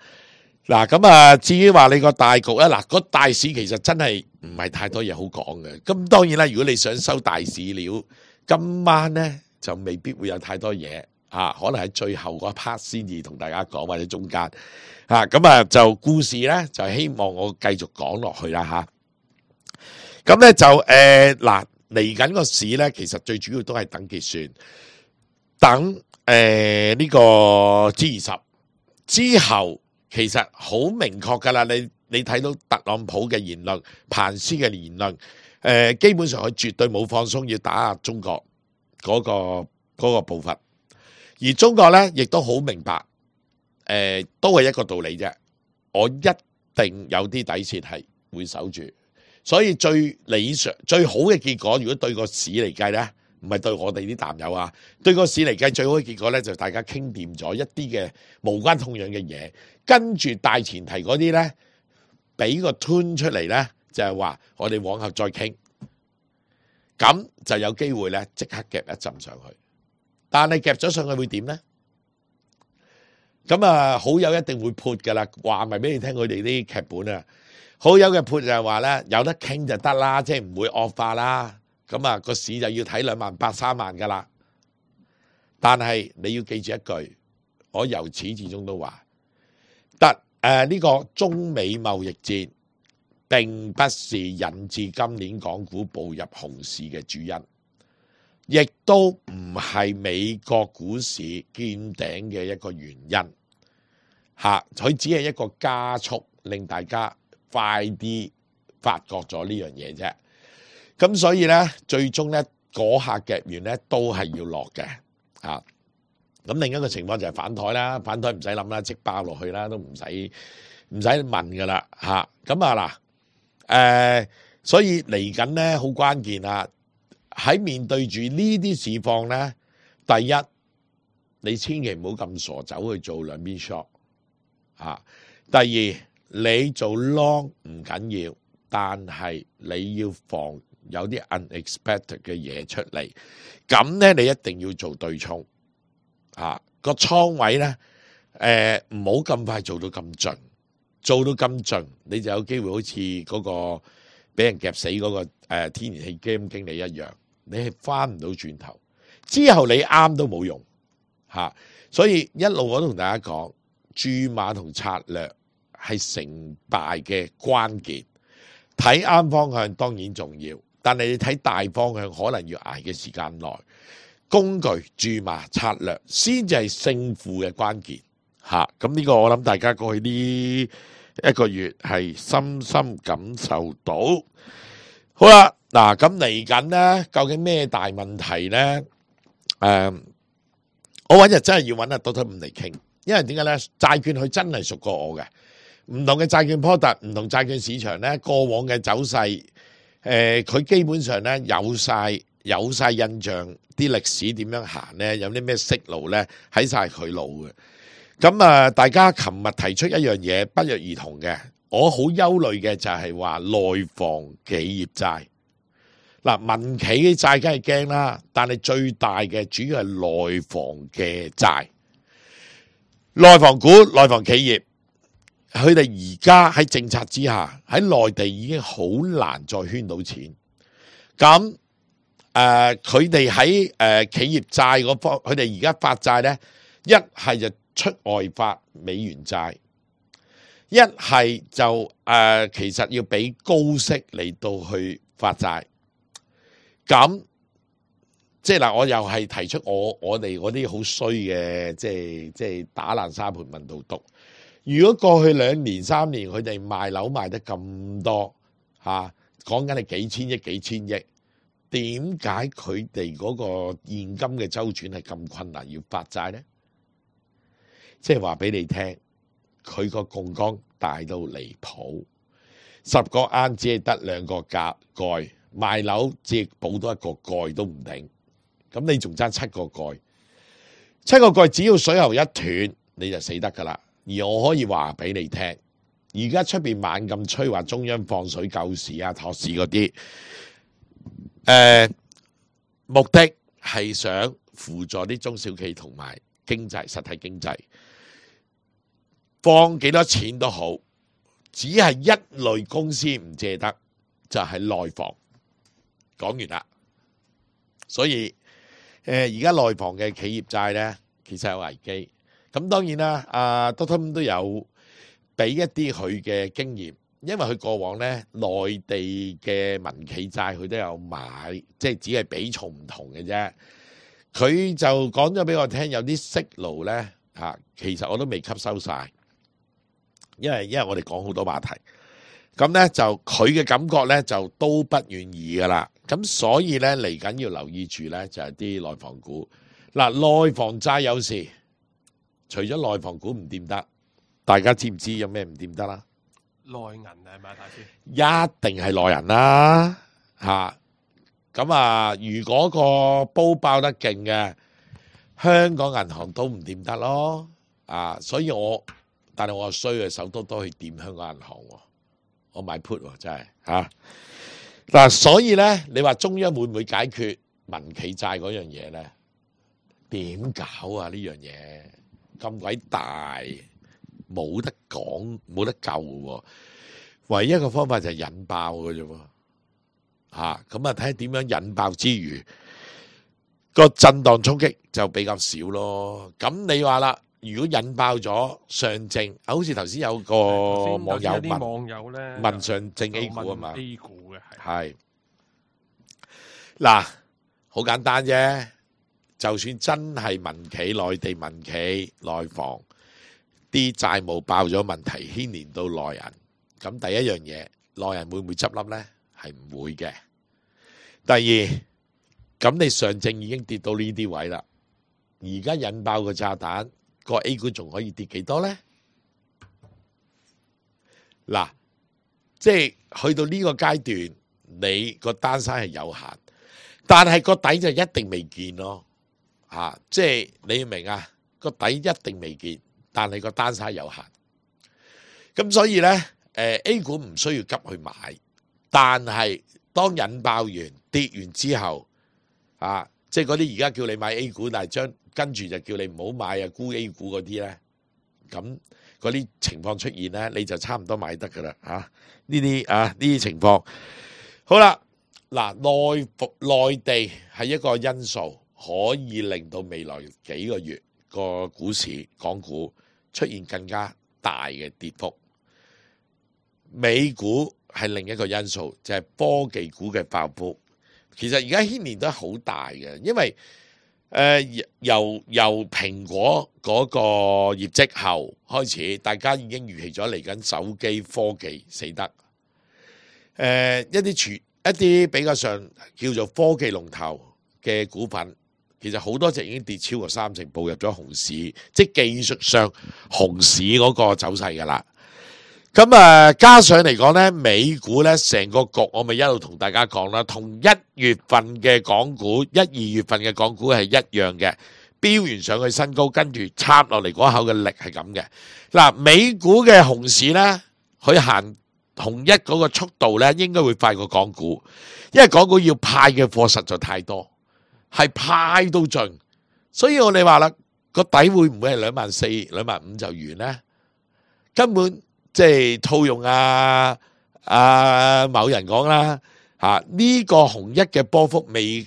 Speaker 3: 嗱咁啊，至於話你個大局咧，嗱個大市其實真係唔係太多嘢好講嘅。咁當然啦，如果你想收大市料，今晚咧就未必會有太多嘢可能喺最後嗰 part 先至同大家講，或者中間咁就故事咧就希望我繼續講落去啦咁咧就嗱嚟緊個市咧，其實最主要都係等結算。等呢個 G20 之後，其實好明確噶啦。你睇到特朗普嘅言論、彭斯嘅言論，基本上佢絕對冇放鬆要打壓中國嗰個步伐。而中國咧，亦都好明白，都係一個道理啫。我一定有啲底線係會守住，所以最理想、最好嘅結果，如果對個市嚟計咧。唔係對我哋啲淡友啊，對個市嚟計最好嘅結果咧，就大家傾掂咗一啲嘅無關痛癢嘅嘢，跟住大前提嗰啲咧，俾個 tune 出嚟咧，就係話我哋往後再傾，咁就有機會咧即刻夾一浸上去。但係夾咗上去會點咧？咁好友一定會潑噶啦，話咪俾你聽佢哋啲劇本啊。好友嘅潑就係話咧，有得傾就得啦，即係唔會惡化啦。咁個市就要睇28000、30000噶啦，但係你要記住一句，我由始至終都話，呢個中美貿易戰並不是引致今年港股步入熊市嘅主因，亦都唔係美國股市見頂嘅一個原因，佢只係一個加速，令大家快啲發覺咗呢樣嘢啫。咁所以咧，最終咧嗰下夾完咧都係要落嘅咁另一個情況就係反台啦，反台唔使諗啦，即爆落去啦，都唔使問噶啦咁所以嚟緊咧好關鍵啦。喺面對住呢啲市況咧，第一你千祈唔好咁傻走去做兩邊 short 第二你做 long 唔緊要，但係你要防有啲 unexpected 嘅嘢出嚟，咁咧你一定要做對沖個倉位咧，唔好咁快做到咁盡，做到咁盡你就有機會好似嗰個俾人夾死嗰個天然氣基金經理一樣，你係翻唔到轉頭，之後你啱都冇用所以一路我都同大家講，注碼同策略係成敗嘅關鍵，睇啱方向當然重要。但係你睇大方向，可能要捱嘅時間內，工具、注碼、策略先至係勝負嘅關鍵咁呢個我諗大家過去呢一個月係深深感受到。好啦，嗱咁嚟緊咧，究竟咩大問題咧？我揾日真係要揾阿 Doctor 5嚟傾，因為點解咧？債券佢真係熟過我嘅，唔同嘅債券 product，唔同債券市場咧，過往嘅走勢，佢基本上咧有晒印象，啲歷史點樣行咧，有啲咩息路咧，喺晒佢腦嘅。咁啊，大家琴日提出一樣嘢不約而同嘅，我好憂慮嘅就係話內房企業債。嗱，民企嘅債梗係驚啦，但係最大嘅主要係內房嘅債，內房股、內房企業，佢哋而家喺政策之下，喺內地已經好難再圈到錢。咁佢哋喺企業債嗰方，佢哋而家發債咧，一係就出外發美元債，一係就其實要俾高息嚟到去發債。咁即係嗱，我又係提出我哋嗰啲好衰嘅，即係打爛沙盤問到篤。如果過去2年3年佢哋賣樓賣得咁多嚇，講緊係幾千億幾千億，點解佢哋嗰個現金嘅周轉係咁困難要發債咧？即係話俾你聽，佢個槓桿大到離譜，10個罌只係得2個蓋。賣樓只補多1個蓋都唔定，咁你仲爭7個蓋，7個蓋只要水喉一斷你就死得噶啦。而我可以話俾你聽，而家出邊猛咁吹話中央放水救市啊、托市嗰啲，目的係想輔助啲中小企同埋經濟實體經濟，放幾多錢都好，只係一類公司唔借得，就係內房。講完啦，所以而家內房嘅企業債咧，其實有危機。咁當然啦，阿 Doctor 都有俾一啲佢嘅經驗，因為佢過往咧內地嘅民企債佢都有買，即係只係比重唔同嘅啫。佢就講咗俾我聽，有啲息路咧嚇，其實我都未吸收晒，因為我哋講好多話題。咁咧就佢嘅感覺咧就都不願意噶啦，咁所以咧嚟緊要留意住咧就係啲內房股。嗱，內房債有時除咗內房股唔掂得，大家知唔知有咩唔掂得啦？
Speaker 4: 內銀係咪大師？
Speaker 3: 一定係內人啦嚇。咁如果個煲爆得勁嘅，香港銀行都唔掂得咯。所以但係我衰嘅手多去掂香港銀行喎。我買 put 喎，真係嚇嗱，所以咧，你話中央會唔會解決民企債嗰樣嘢咧？點搞啊？呢樣嘢咁鬼大，冇得講，冇得救嘅喎。唯一一個方法就係引爆嘅啫喎嚇。咁睇下點樣引爆之餘，個震盪衝擊就比較少咯。咁你話啦。如果引爆咗上證，好似頭先有個網友問上證 A 股啊嘛
Speaker 4: ，A 股嘅
Speaker 3: 係嗱，好簡單啫。就算真係民企、內地民企、內房啲債務爆咗問題，牽連到內人，咁第一樣嘢，內人會唔會執笠咧？係唔會嘅。第二，咁你上證已經跌到呢啲位啦，而家引爆個炸彈。個 A 股仲可以跌幾多咧？嗱，即係去到呢個階段，你個單身係有限，但係個底就一定未見咯。即係你要明啊，個底一定未見，但係個單身有限。咁所以咧，A 股唔需要急去買，但係當引爆完跌完之後，即係嗰啲而家叫你買 A 股，但係跟住就叫你唔好買啊，沽 A 股嗰啲咧，咁嗰啲情況出現咧，你就差唔多買得噶啦嚇。呢啲情況好啦，嗱，內地係一個因素，可以令到未來幾個月個股市港股出現更加大嘅跌幅。美股係另一個因素，就係科技股嘅爆煲。其實而家牽連都係好大嘅，因為由蘋果嗰個業績後開始，大家已經預期咗嚟緊手機科技死得。一啲一啲比較上叫做科技龍頭嘅股份，其實好多隻已經跌超過30%，步入咗熊市，即係技術上熊市嗰個走勢㗎啦。咁加上嚟講咧，美股咧成個局，我咪一路同大家講啦，同1月份嘅港股、1、2月份嘅港股係一樣嘅，飆完上去新高，跟住插落嚟嗰口嘅力係咁嘅。嗱，美股嘅熊市咧，佢行同一嗰個速度咧，應該會快過港股，因為港股要派嘅貨實在太多，係派到盡，所以我哋話啦，個底會唔會係24,000、25,000就完咧？根本即係套用某人講啦，呢個紅一嘅波幅未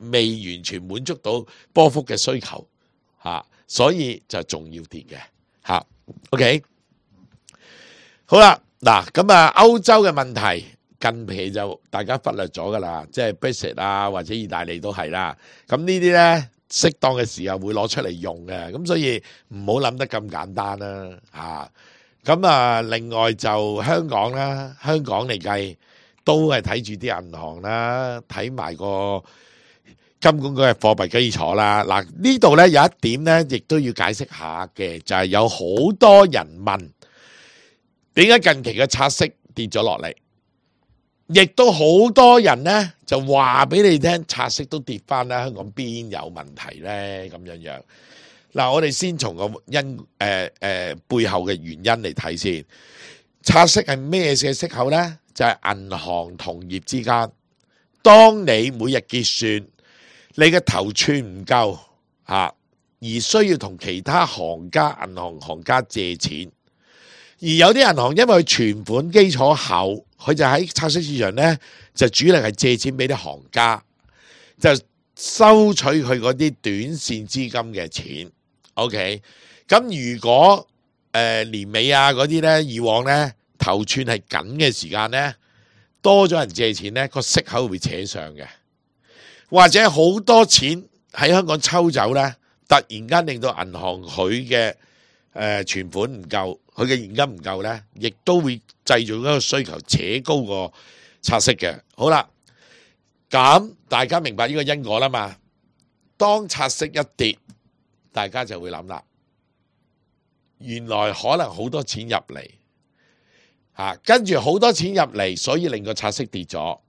Speaker 3: 完全滿足到波幅嘅需求，所以就仲要跌嘅，OK。好啦，嗱咁歐洲嘅問題近期就大家忽略咗噶啦，即係 Brexit 或者意大利都係啦。咁呢啲咧適當嘅時候會攞出嚟用嘅，咁所以唔好諗得咁簡單啦。咁另外就香港啦，香港嚟計都係睇住啲銀行啦，睇埋個金管局嘅貨幣基礎啦。嗱，呢度咧有一點咧，亦都要解釋下嘅，就係有好多人問點解近期嘅拆息跌咗落嚟，亦都好多人咧就話俾你聽，拆息都跌翻啦，香港邊有問題咧？咁樣。嗱，我哋先從個背後嘅原因嚟睇先。拆息係咩嘅息口呢？就係銀行同業之間，當你每日結算，你嘅頭寸唔夠而需要同其他行家、銀行家借錢，而有啲銀行因為存款基礎厚，佢就喺拆息市場呢，就主力係借錢俾啲行家，就收取佢嗰啲短線資金嘅錢。OK， 咁如果年尾嗰啲咧，以往咧頭寸係緊嘅時間咧，多咗人借錢咧，個息口會扯上嘅，或者好多錢喺香港抽走咧，突然間令到銀行佢嘅存款唔夠，佢嘅現金唔夠咧，亦都會製造一個需求，扯高個拆息嘅。好啦，咁大家明白呢個因果啦嘛？當拆息一跌，大家就會諗啦，原來可能好多錢入嚟，跟住好多錢入嚟，所以令個拆息跌咗，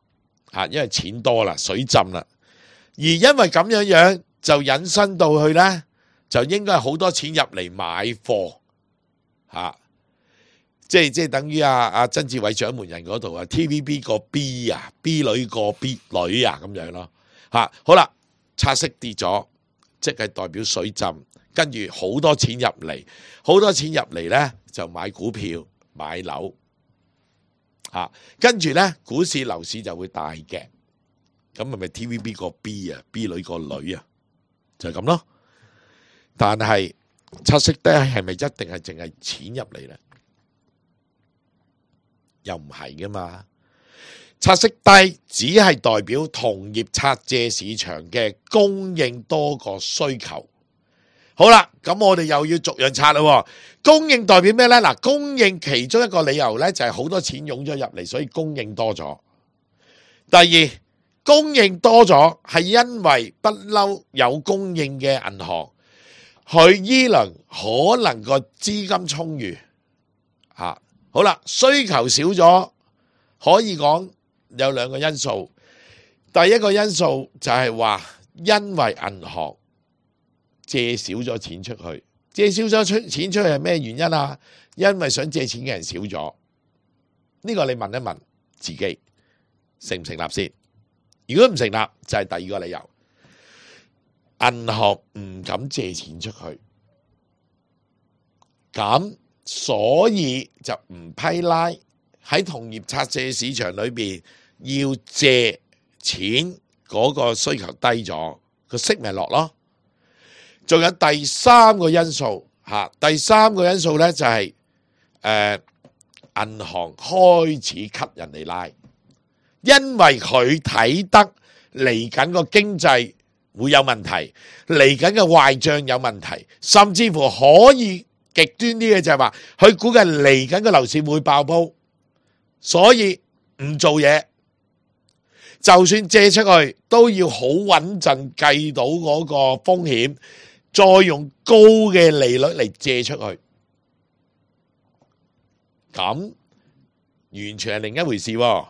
Speaker 3: 因為錢多啦，水浸啦，而因為咁樣就引申到去呢，就應該好多錢入嚟買貨，即係等於曾志偉掌門人嗰度TVB 個 B 女個 B 女咁樣咯，好啦，拆息跌咗。即係代表水浸，跟住好多錢入嚟，好多錢入嚟呢就買股票、買樓，跟住呢股市、樓市就會大嘅，咁係咪 TVB 個 B 女個女就係咁咯。但係拆息低係咪一定係淨係錢入嚟呢？又唔係噶嘛。拆息低只係代表同業拆借市場嘅供應多過需求。好啦，咁我哋又要逐樣拆啦。供應代表咩呢？嗱，供應其中一個理由呢，就係好多錢湧咗入嚟，所以供應多咗。第二，供應多咗係因為不嬲有供應嘅銀行，佢依輪可能個資金充裕。好啦，需求少咗，可以講有兩個因素。第一個因素就係話，因為銀行借少咗錢出去，借少咗錢出去係咩原因啊？因為想借錢嘅人少咗。呢個你問一問自己，成唔成立先？如果唔成立，就係第二個理由，銀行唔敢借錢出去，咁所以就唔批拉。喺同業拆借市場裏邊，要借錢嗰個需求低咗，個息咪落咯。仲有第三個因素，第三個因素咧就係銀行開始吸人嚟拉，因為佢睇得嚟緊個經濟會有問題，嚟緊嘅壞帳有問題，甚至乎可以極端啲嘅就係話，佢估計嚟緊嘅樓市會爆煲。所以唔做嘢，就算借出去都要好穩陣計到嗰個風險，再用高嘅利率嚟借出去，咁完全係另一回事喎。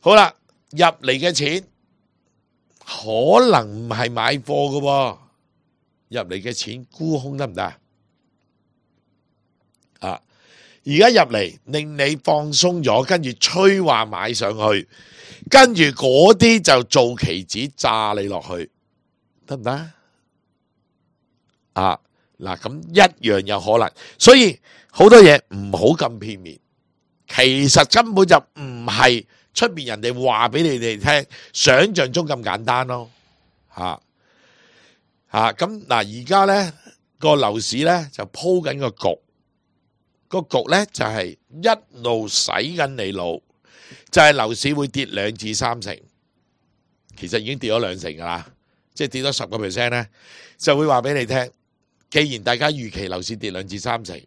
Speaker 3: 好啦，入嚟嘅錢可能唔係買貨嘅喎，入嚟嘅錢沽空得唔得啊？而家入嚟令你放鬆咗，跟住催話買上去，跟住嗰啲就做期指炸你落去，得唔得啊？嗱，咁一樣有可能，所以好多嘢唔好咁片面，其實根本就唔係出邊人哋話俾你哋聽，想象中咁簡單咯，咁嗱，而家咧個樓市咧就鋪緊個局。個局咧就係一路洗緊你腦，就係樓市會跌2至3成，其實已經跌咗2成噶啦，即係跌咗10%咧，就會話俾你聽。既然大家預期樓市跌2至3成，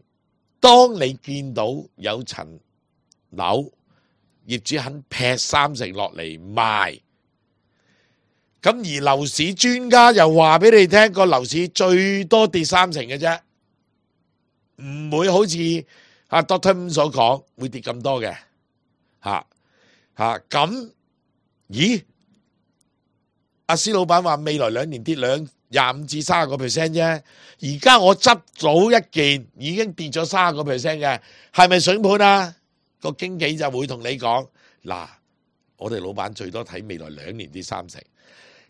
Speaker 3: 當你見到有層樓業主肯劈3成落嚟賣，咁而樓市專家又話俾你聽，個樓市最多跌3成嘅啫。唔會好似Dr. 所講會跌咁多嘅，咁，咦？阿施老闆話未來2年跌25至30% 啫，而家我執到一件已經跌咗30% 嘅，係咪筍盤啊？個經紀就會同你講，嗱，我哋老闆最多睇未來2年跌3成，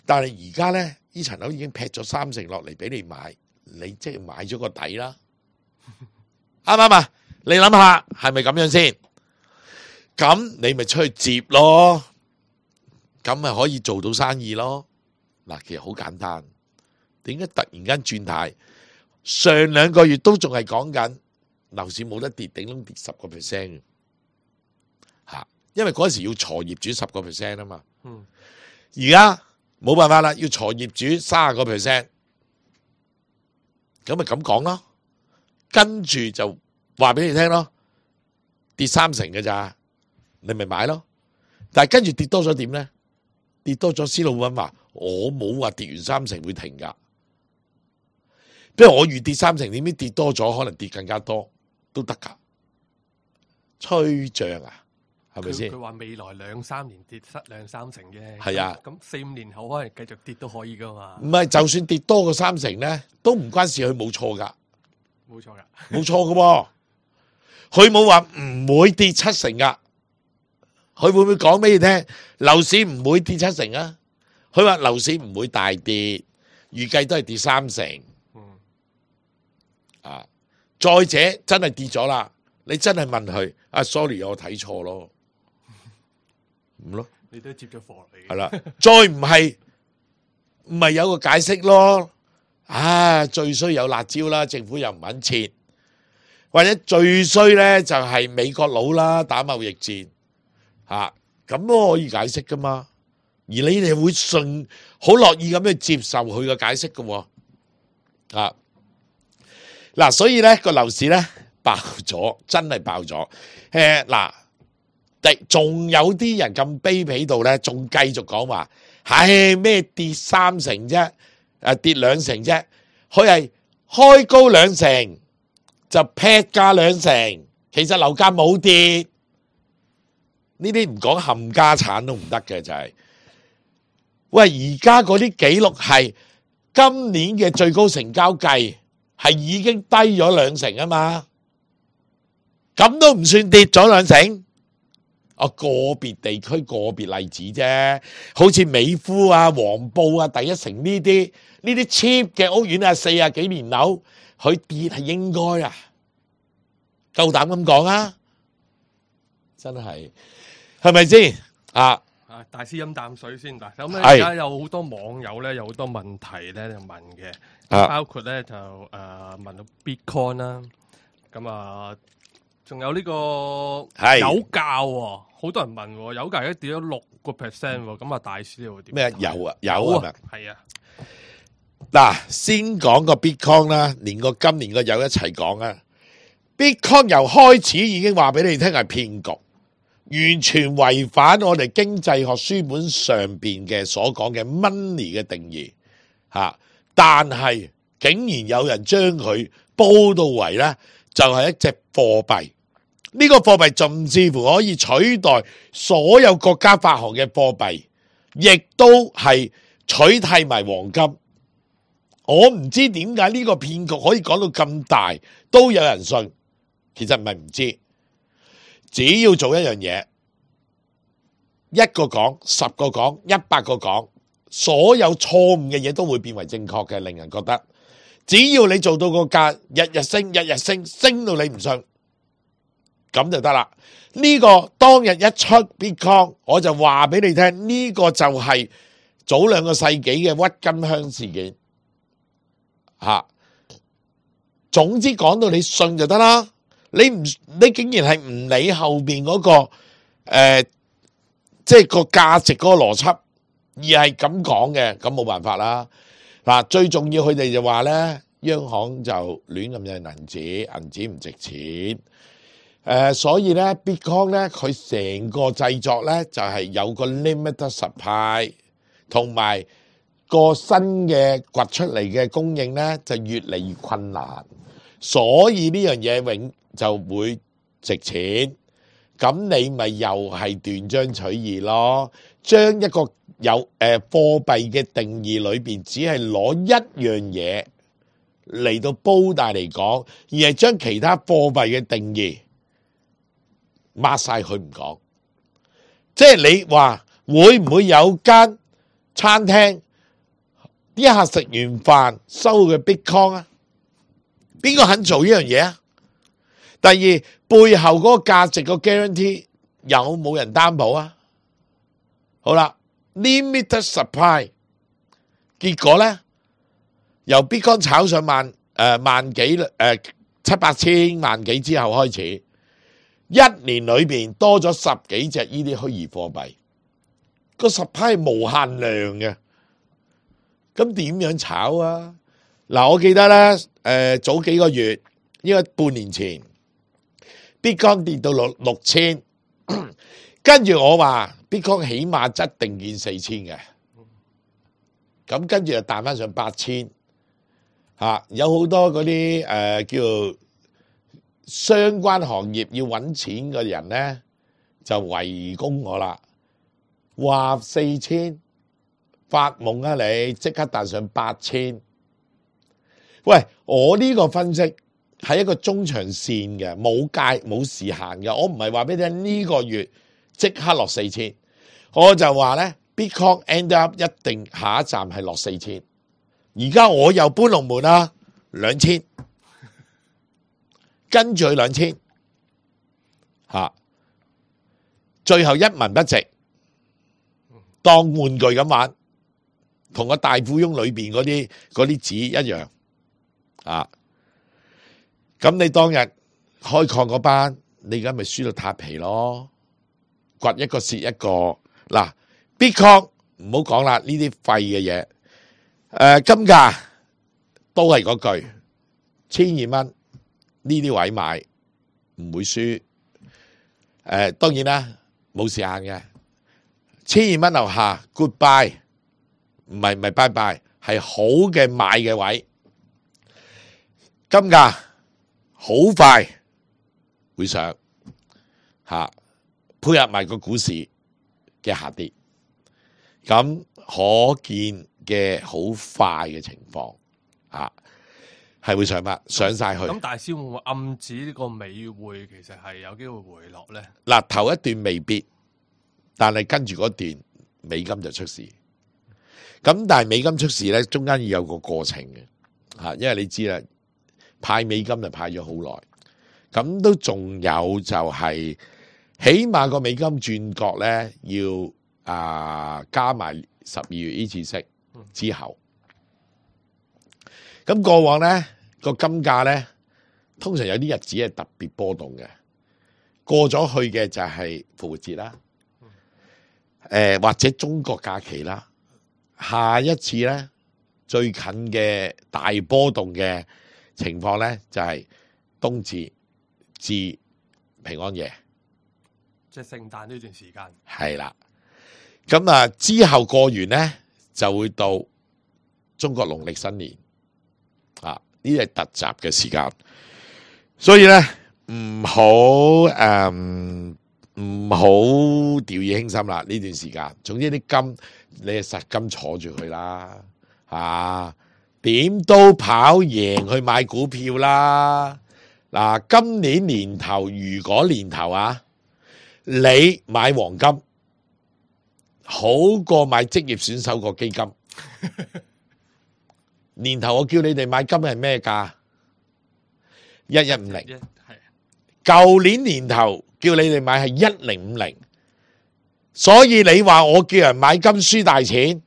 Speaker 3: 但係而家咧呢層樓已經劈咗3成落嚟俾你買，你即係買咗個底啦。啱唔啱啊？你諗下係咪咁樣先？咁你咪出去接咯，咁咪可以做到生意咯。嗱，其實好簡單，點解突然間轉態？上2個月都仲係講緊樓市冇得跌，頂籠跌10%嘅，因為嗰時要鋤業主10% 啊嘛。而家冇辦法啦，要鋤業主30%，咁咪咁講咯。跟住就話俾你聽咯，跌3成嘅咋，你咪買咯。但係跟住跌多咗點咧？跌多咗，施老闆話我冇話跌完3成會停噶。不如我預跌3成，點知跌多咗，可能跌更加多都得噶。吹漲啊，係咪先？
Speaker 4: 佢話未來2-3年跌2-3成啫。
Speaker 3: 係啊，
Speaker 4: 咁4-5年後可能繼續跌都可以噶嘛。
Speaker 3: 唔係，就算跌多過3成咧，都唔關事，佢冇錯噶。
Speaker 4: 冇錯噶，
Speaker 3: 冇錯噶喎，佢冇話唔會跌7成噶，佢會唔會講俾你聽？樓市唔會跌7成啊？佢話樓市唔會大跌，預計都係跌3成。再者真係跌咗啦，你真係問佢，sorry， 我睇錯咯，咁咯，
Speaker 4: 你都接咗貨嚟。
Speaker 3: 係啦，再唔係有個解釋咯。最衰有辣椒啦，政府又唔肯撤，或者最衰咧就係美國佬啦，打貿易戰，咁都可以解釋噶嘛。而你哋會好樂意咁去接受佢嘅解釋噶，嗱，所以咧個樓市咧爆咗，真係爆咗。仲有啲人咁卑鄙到咧，仲繼續講話，咩跌3成啫？跌2成啫，佢係開高2成就劈價2成，其實樓價冇跌，呢啲唔講冚家產都唔得嘅就係。喂，而家嗰啲記錄係今年嘅最高成交計係已經低咗2成啊嘛，咁都唔算跌咗2成。個別地區個別例子啫，好似美孚啊、黃埔啊、第一城呢啲 cheap 嘅屋苑40幾年樓，佢跌係應該啊，夠膽咁講啊，真係咪先？
Speaker 4: 大師飲啖水先。嗱，咁咧而家有好多網友咧有好多問題咧就問嘅，包括咧就問到 Bitcoin 啦，咁仲有呢個油價喎，好多人問喎，油價而家跌咗6%喎，咁大師你會點？
Speaker 3: 咩油啊？
Speaker 4: 係啊。
Speaker 3: 嗱，先講個 Bitcoin 啦，連個今年個油一齊講啊。Bitcoin 由開始已經話俾你聽係騙局，完全違反我哋經濟學書本上邊嘅所講嘅 money 嘅定義吓，但係竟然有人將佢煲到為咧就係一隻貨幣，呢個貨幣甚至乎可以取代所有國家發行嘅貨幣，亦都係取替埋黃金。我唔知點解呢個騙局可以講到咁大，都有人信。其實唔係唔知，只要做一樣嘢，一個講，10個講，100個講，所有錯誤嘅嘢都會變為正確嘅，令人覺得只要你做到個價日日升，日日升，升到你唔信，咁就得啦。呢個當日一出 Bitcoin， 我就話俾你聽，呢個就係早2個世紀嘅鬱金香事件吓。總之講到你信就得啦。你竟然係唔理後邊嗰個即係個價值嗰個邏輯，而係咁講嘅，咁冇辦法啦。嗱，最重要佢哋就話咧，央行就亂咁印銀紙唔值錢。所以咧 Bitcoin 咧佢成個製作咧就係有個 limited supply， 同埋個新嘅掘出嚟嘅供應咧就越嚟越困難，所以呢樣嘢永就會值錢，咁你咪又係斷章取義咯，將一個有貨幣嘅定義裏邊，只係攞一樣嘢嚟到煲大嚟講，而係將其他貨幣嘅定義抹晒佢唔講。即係你話會唔會有間餐廳一下食完飯收嘅 Bitcoin 啊？邊個肯做呢樣嘢啊？第二，背後嗰個價值個 guarantee 有冇人擔保啊？好啦 ，limited supply， 結果咧由 Bitcoin 炒上萬幾700千萬幾之後開始，一年裏邊多咗10幾隻呢啲虛擬貨幣，個 supply 係無限量嘅，咁點樣炒啊？嗱，我記得咧早幾個月，應該半年前。Bitcoin 跌到6000，跟住我話 Bitcoin 起碼一定見4000嘅，咁跟住就彈翻上8000，有好多嗰啲叫做相關行業要揾錢嘅人咧，就圍攻我啦，話4000發夢啊你，即刻彈上8000。喂，我呢個分析係一個中長線嘅，冇時限嘅。我唔係話俾你聽呢個月即刻落4000，我就話咧 Bitcoin end up 一定下一站係落4000。而家我又搬龍門啦，2000，跟住去2000，最後一文不值，當玩具咁玩，同個大富翁裏邊嗰啲紙一樣。咁你當日開礦嗰班，你而家咪輸到塌皮咯，掘一個蝕一個。嗱 ，Bitcoin 唔好講啦，呢啲廢嘅嘢。金價都係嗰句，1200蚊呢啲位買唔會輸。當然啦，冇時限嘅，1200蚊樓下 goodbye， 唔係bye bye，係好嘅買嘅位。金價好快會上配合埋個股市嘅下跌，咁可見嘅好快嘅情況係會上晒去。
Speaker 4: 咁大師會唔會暗指呢個美匯其實係有機會回落咧？
Speaker 3: 嗱，頭一段未必，但係跟住嗰段美金就出事。咁但係美金出事咧，中間要有個過程嘅因為你知啦。派美金就派咗好耐，咁都仲有就係起碼個美金轉角咧，要加埋12月呢次息之後，咁過往咧個金價咧通常有啲日子係特別波動嘅，過咗去嘅就係復活節啦，或者中國假期啦，下一次咧最近嘅大波動嘅情況咧就係冬至至平安夜
Speaker 4: 即係聖誕呢段時間。
Speaker 3: 係啦，咁啊之後過完咧就會到中國農曆新年啊，呢啲係突襲嘅時間，所以咧唔好掉以輕心啦呢段時間。總之啲金你係實金坐住佢啦，點都跑贏去買股票啦。嗱，今年年頭如果年頭啊，你買黃金好過買職業選手個基金。年頭我叫你哋買金係咩價？1150。舊年年頭叫你哋買係1050，所以你話我叫人買金輸大錢。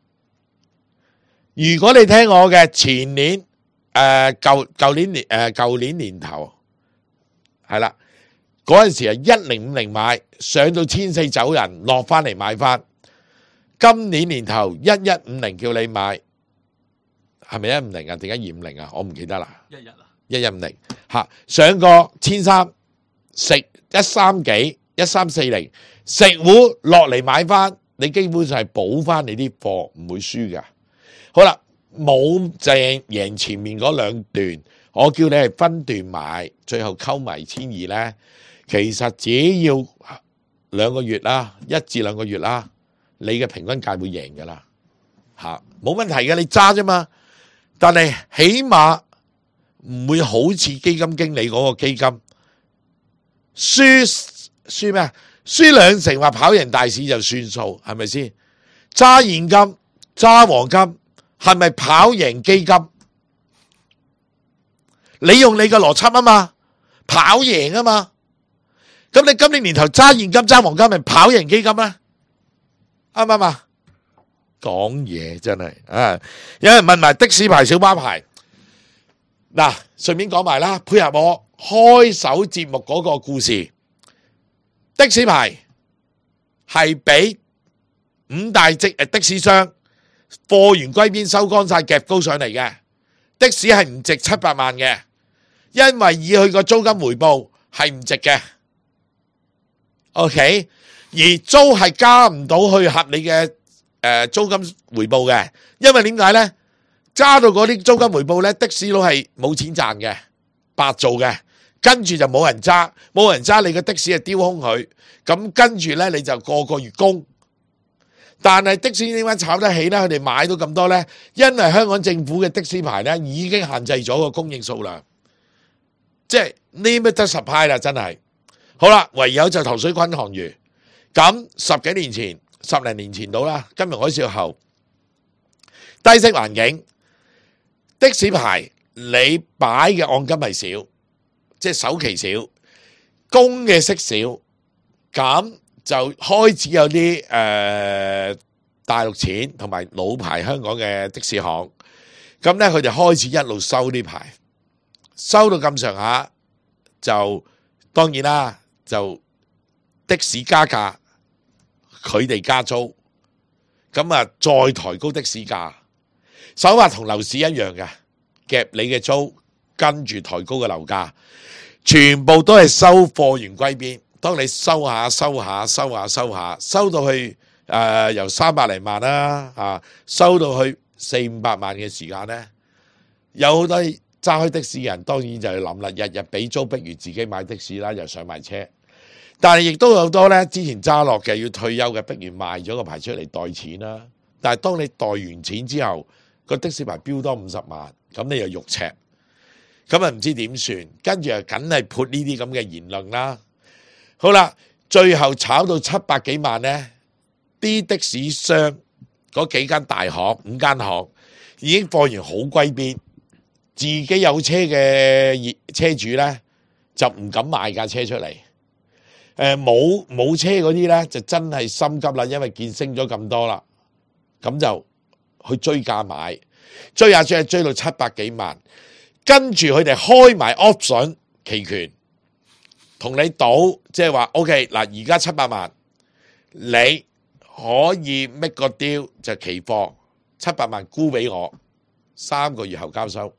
Speaker 3: 如果你聽我嘅前年舊年年頭係啦，嗰陣時係1050買，上到1400走人，落翻嚟買翻。今年年頭1150叫你買，係咪150啊？定係250啊？我唔記得啦。1150吓，上過1300，食13幾1340，食糊落嚟買翻，你基本上係補翻你啲貨，唔會輸噶。好啦，冇正贏前面嗰兩段，我叫你係分段買，最後溝埋1200咧，其實只要2個月啦，1至2個月啦，你嘅平均價會贏噶啦，冇問題嘅，你揸啫嘛。但係起碼唔會好似基金經理嗰個基金輸咩啊？輸2成話跑贏大市就算數，係咪先？揸現金揸黃金係咪跑贏基金？你用你嘅邏輯啊嘛，跑贏啊嘛。咁你今年年頭揸現金揸黃金咪跑贏基金啊？啱唔啱啊？講嘢真係啊！有人問埋的士牌、小巴牌，嗱，順便講埋啦，配合我開首節目嗰個故事。的士牌係俾5大的士商貨源歸邊收乾晒夾高上嚟嘅，的士係唔值700萬嘅，因為以佢個租金回報係唔值嘅。OK， 而租係加唔到去合理嘅租金回報嘅，因為點解呢？加到嗰啲租金回報呢，的士佬係冇錢賺嘅，白做嘅，跟住就冇人揸，冇人揸，你個的士係丟空佢，咁跟住呢，你就個月供。但係的士點解炒得起呢？佢哋買到咁多呢？因為香港政府嘅的士牌呢已經限制咗個供應數量，即係 limited supply 啦，真係。好啦，唯有就塘水滾塘魚。咁10幾年前，10零年前到啦，金融海嘯後，低息環境，的士牌你擺嘅按金係少，即係首期少，供嘅息少，咁就開始有啲大陸錢同埋老牌香港嘅的士行，咁咧佢哋開始一路收啲牌，收到咁上下，就當然啦，就的士加價，佢哋加租，咁啊再抬高的士價，手法同樓市一樣嘅，夾你嘅租，跟住抬高嘅樓價，全部都係收貨源歸邊。當你收下收到去由300零萬啦，收到去400-500萬嘅時間咧，有好多揸開的士嘅人當然就係諗啦，日日俾租，不如自己買的士啦，又上埋車。但係亦都有好多咧，之前揸落嘅要退休嘅，不如賣咗個牌出嚟袋錢啦。但係當你袋完錢之後，個的士牌標多50萬，咁你又肉赤，咁啊唔知點算，跟住啊梗係潑呢啲咁嘅言論啦。好啦，最後炒到700幾萬呢，啲的士商嗰幾間大行5間行已經貨源好歸邊，自己有車嘅車主呢，就唔敢賣架車出嚟。冇車嗰啲呢，就真係心急啦，因為見升咗咁多啦，咁就去追價買，追下追到700幾萬，跟住佢哋開埋 option 期權，同你賭，即係話 OK 嗱，而家700萬，你可以 make 個 deal 就期貨700萬沽俾我，3個月後交收。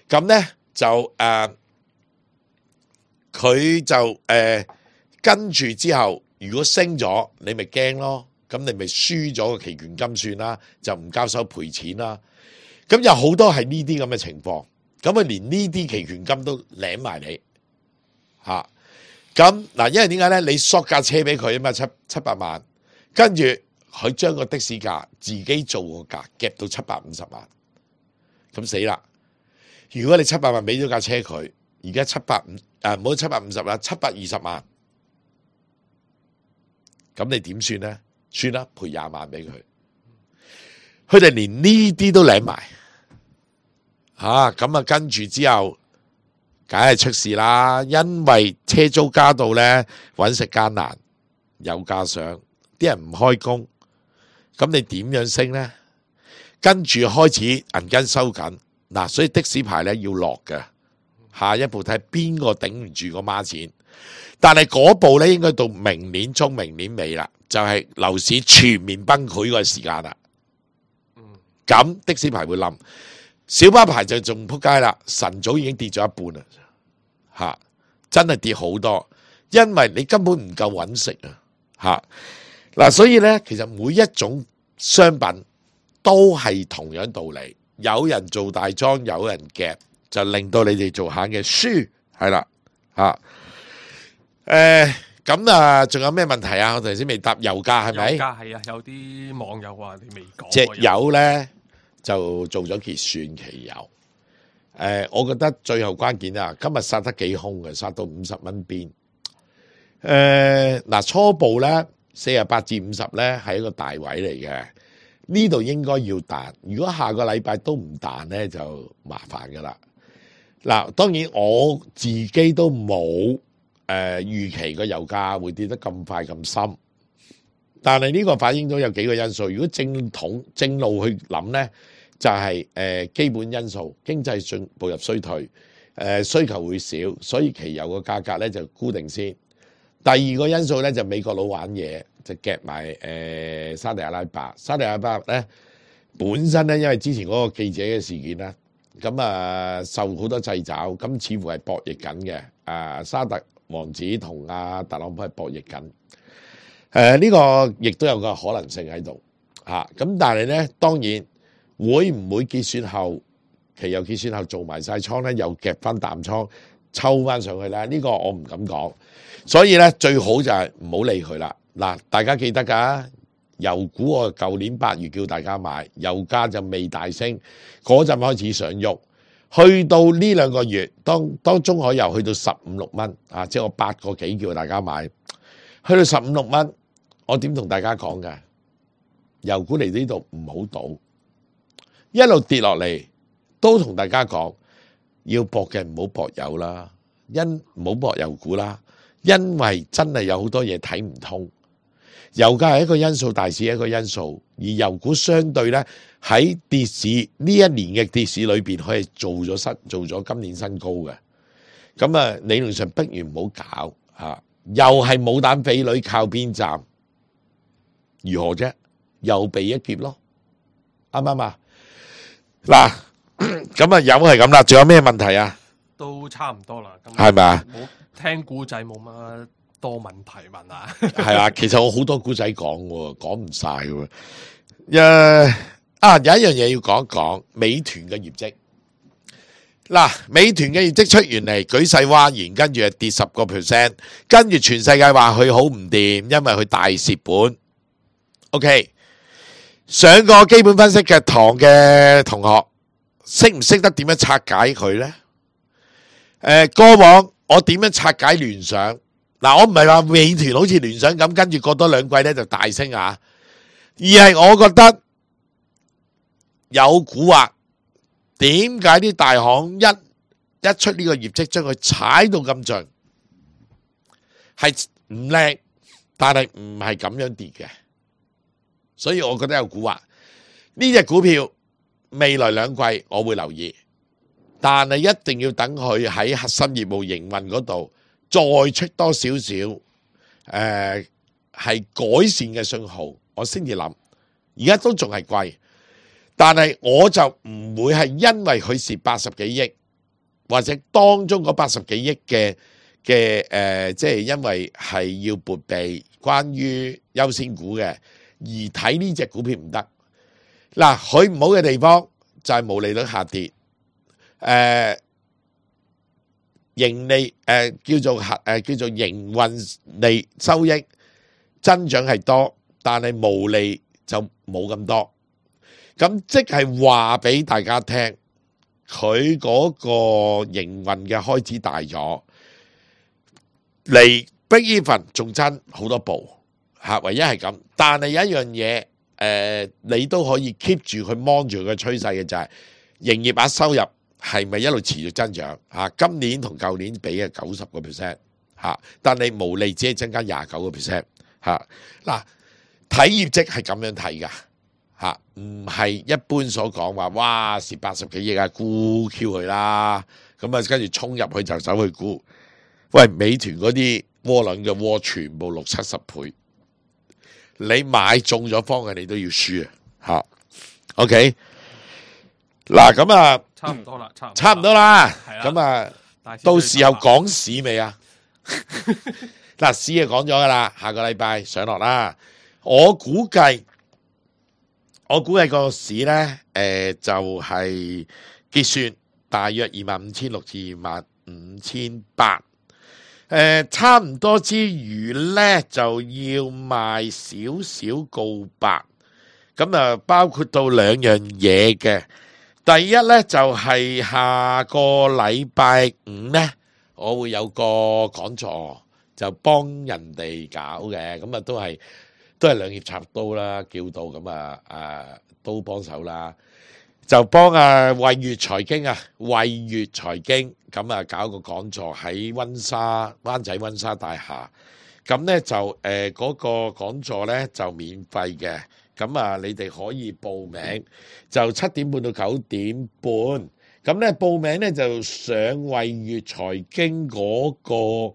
Speaker 3: 咁呢就佢就跟住之後如果升咗，你咪驚咯，咁你咪輸咗個期權金算啦，就唔交收賠錢啦。咁有好多係呢啲咁嘅情況，咁佢連呢啲期權金都領埋你嚇。咁嗱，因為點解咧？你索架車俾佢啊嘛，七百萬，跟住佢將個的士價自己做個價夾到750萬，咁死啦！如果你700萬俾咗架車佢，而家唔好750啦，720萬，咁你點算咧？算啦，賠20萬俾佢。佢哋連呢啲都領埋，咁啊跟住之後，梗係出事啦。因為車租加到咧，揾食艱難，油價上，啲人唔開工，咁你點樣升咧？跟住開始銀根收緊，嗱，所以的士牌咧要落嘅。下一步睇邊個頂唔住個孖錢，但係嗰步咧應該到明年中、明年尾啦，就係樓市全面崩潰個時間啦。咁的士牌會冧，小巴牌就仲撲街啦，晨早已經跌咗一半啦，真係跌好多，因為你根本唔夠揾食啊，嗱，所以咧其實每一種商品都係同樣道理，有人做大莊，有人夾，就令到你哋做客嘅輸，係啦，咁啊，仲有咩問題啊？我頭先未答油價係咪？
Speaker 4: 油價係啊，有啲網友話你未講。
Speaker 3: 隻油咧就做咗結算期油，我覺得最後關鍵啊，今日殺得幾兇嘅，殺到50蚊邊。嗱，初步咧48至50咧係一個大位嚟嘅，呢度應該要彈。如果下個禮拜都唔彈咧，就麻煩噶啦。嗱，當然我自己都冇預期個油價會跌得咁快咁深，但係呢個反映咗有幾個因素。如果正路去諗咧，就係基本因素，經濟步入衰退，需求會少，所以期油個價格咧就固定先。第二個因素咧就美國佬玩嘢，就夾埋沙地阿拉伯。沙地阿拉伯咧本身咧，因為之前嗰個記者嘅事件啦，咁啊受好多掣肘，咁似乎係博弈緊嘅。沙特王子同阿特朗普係博弈緊。呢個亦都有個可能性喺度嚇。咁但係咧，當然會唔會結算後期油結算後做埋晒倉咧，又夾翻淡倉抽翻上去咧？呢個我唔敢講。所以咧，最好就係唔好理佢啦。嗱，大家記得㗎，油股我舊年8月叫大家買，油價就未大升，嗰陣開始上喐，去到呢2個月，當中海油去到15、16蚊啊，即係我8個幾叫大家買，去到15、16蚊，我點同大家講㗎？油股嚟呢度唔好賭，一路跌落嚟都同大家講，要搏嘅唔好搏油啦，唔好搏油股啦。因為真係有好多嘢睇唔通，油價係一個因素，大市係一個因素，而油股相對咧喺跌市呢一年嘅跌市裏邊，佢係做咗今年新高嘅。咁啊，理論上不如唔好搞吓，又係冇膽匪女靠邊站，如何啫？又避一劫咯，啱唔啱啊？嗱，咁啊，油係咁啦，仲有咩問題啊？
Speaker 4: 都差唔多啦，
Speaker 3: 係咪啊？
Speaker 4: 聽古仔冇乜多問題問啊，
Speaker 3: 係啊，其實我好多古仔講喎，講唔晒喎。有一樣嘢要講一講，美團嘅業績。嗱，美團嘅業績出完嚟，舉世譁然，跟住係跌10%，跟住全世界話佢好唔掂，因為佢大蝕本。OK， 上過基本分析嘅堂嘅同學，識唔識得點樣拆解佢呢？過往我點樣拆解聯想？嗱，我唔係話美團好似聯想咁，跟住過多2季咧就大升啊，而係我覺得有蠱惑。點解啲大行一出呢個業績，將佢踩到咁盡，係唔靚，但係唔係咁樣跌嘅，所以我覺得有蠱惑。呢隻股票未來2季我會留意。但係一定要等佢喺核心業務營運嗰度再出多少少係改善嘅信號，我先至諗。而家都仲係貴，但係我就唔會係因為佢蝕80幾億，或者當中嗰80幾億嘅即係因為係要撥備關於優先股嘅，而睇呢隻股票唔得。嗱，佢唔好嘅地方就係毛利率下跌，盈利叫做營運利收益增長係多，但係毛利就冇咁多。咁即係話俾大家聽，佢嗰個營運嘅開支大咗，離 break even 仲爭好多步嚇，唯一係咁。但係有一樣嘢，你都可以 keep 住佢 mon 住佢嘅趨勢嘅就係營業額收入係咪一路持續增長嚇？今年同舊年比係90% 嚇，但係毛利只係增加29% 嚇。嗱，睇業績係咁樣睇㗎。唔係一般所講話，哇蝕80幾億啊，沽 Q 佢啦，咁啊跟住衝入去就走去沽。喂，美團嗰啲窩輪嘅窩全部60-70倍，你買中咗方嘅你都要輸啊！OK， 嗱咁啊，
Speaker 4: 差唔多啦，
Speaker 3: 差唔多啦，
Speaker 4: 咁
Speaker 3: 啊，到時候講市未啊？嗱，市就講咗噶啦，下個禮拜上落啦，我估計個市咧，就係結算大約25,600至25,800，差唔多之餘咧就要賣少少告白，咁啊包括到兩樣嘢嘅。第一咧就係下個禮拜五咧，我會有個講座，就幫人哋搞嘅，咁啊都係兩肋插刀啦，叫到咁都幫手啦，就幫惠粵財經惠粵財經咁啊搞個講座喺灣仔溫莎大廈，咁咧就嗰個講座咧就免費嘅，咁啊你哋可以報名，就7點半到9點半，咁咧報名咧就上惠粵財經嗰個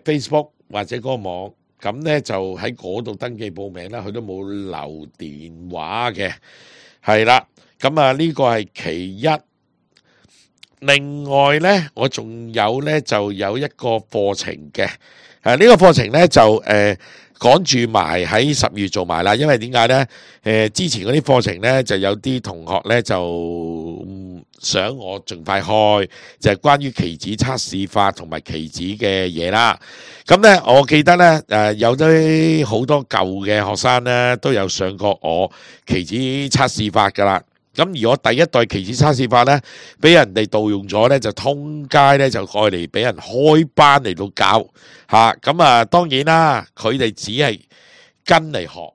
Speaker 3: Facebook 或者嗰個網。咁咧就喺嗰度登記報名啦，佢都冇留電話嘅，係啦。咁啊呢個係其一。另外咧，我仲有咧就有一個課程嘅，呢個課程咧就趕住埋喺10月做埋啦。因為點解咧？之前嗰啲課程咧就有啲同學咧就想我盡快開，就係關於期指測試法同埋期指嘅嘢啦。咁咧，我記得咧，有啲好多舊嘅學生咧都有上過我期指測試法噶啦。咁而我第一代期指測試法咧，俾人哋盜用咗咧，就通街咧就過嚟俾人開班嚟到教嚇。咁啊，當然啦，佢哋只係跟嚟學，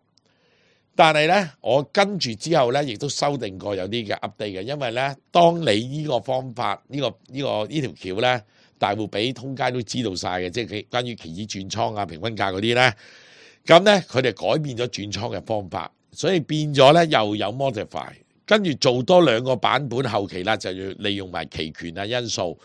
Speaker 3: 但係咧，我跟住之後咧，亦都修訂過有啲嘅 update 嘅，因為咧，當你呢個方法呢條橋咧，大戶俾通街都知道晒嘅，即係關於期指轉倉啊、平均價嗰啲咧，咁咧佢哋改變咗轉倉嘅方法，所以變咗咧又有 modify。跟住做多2個版本，後期啦就要利用埋期權啊因素。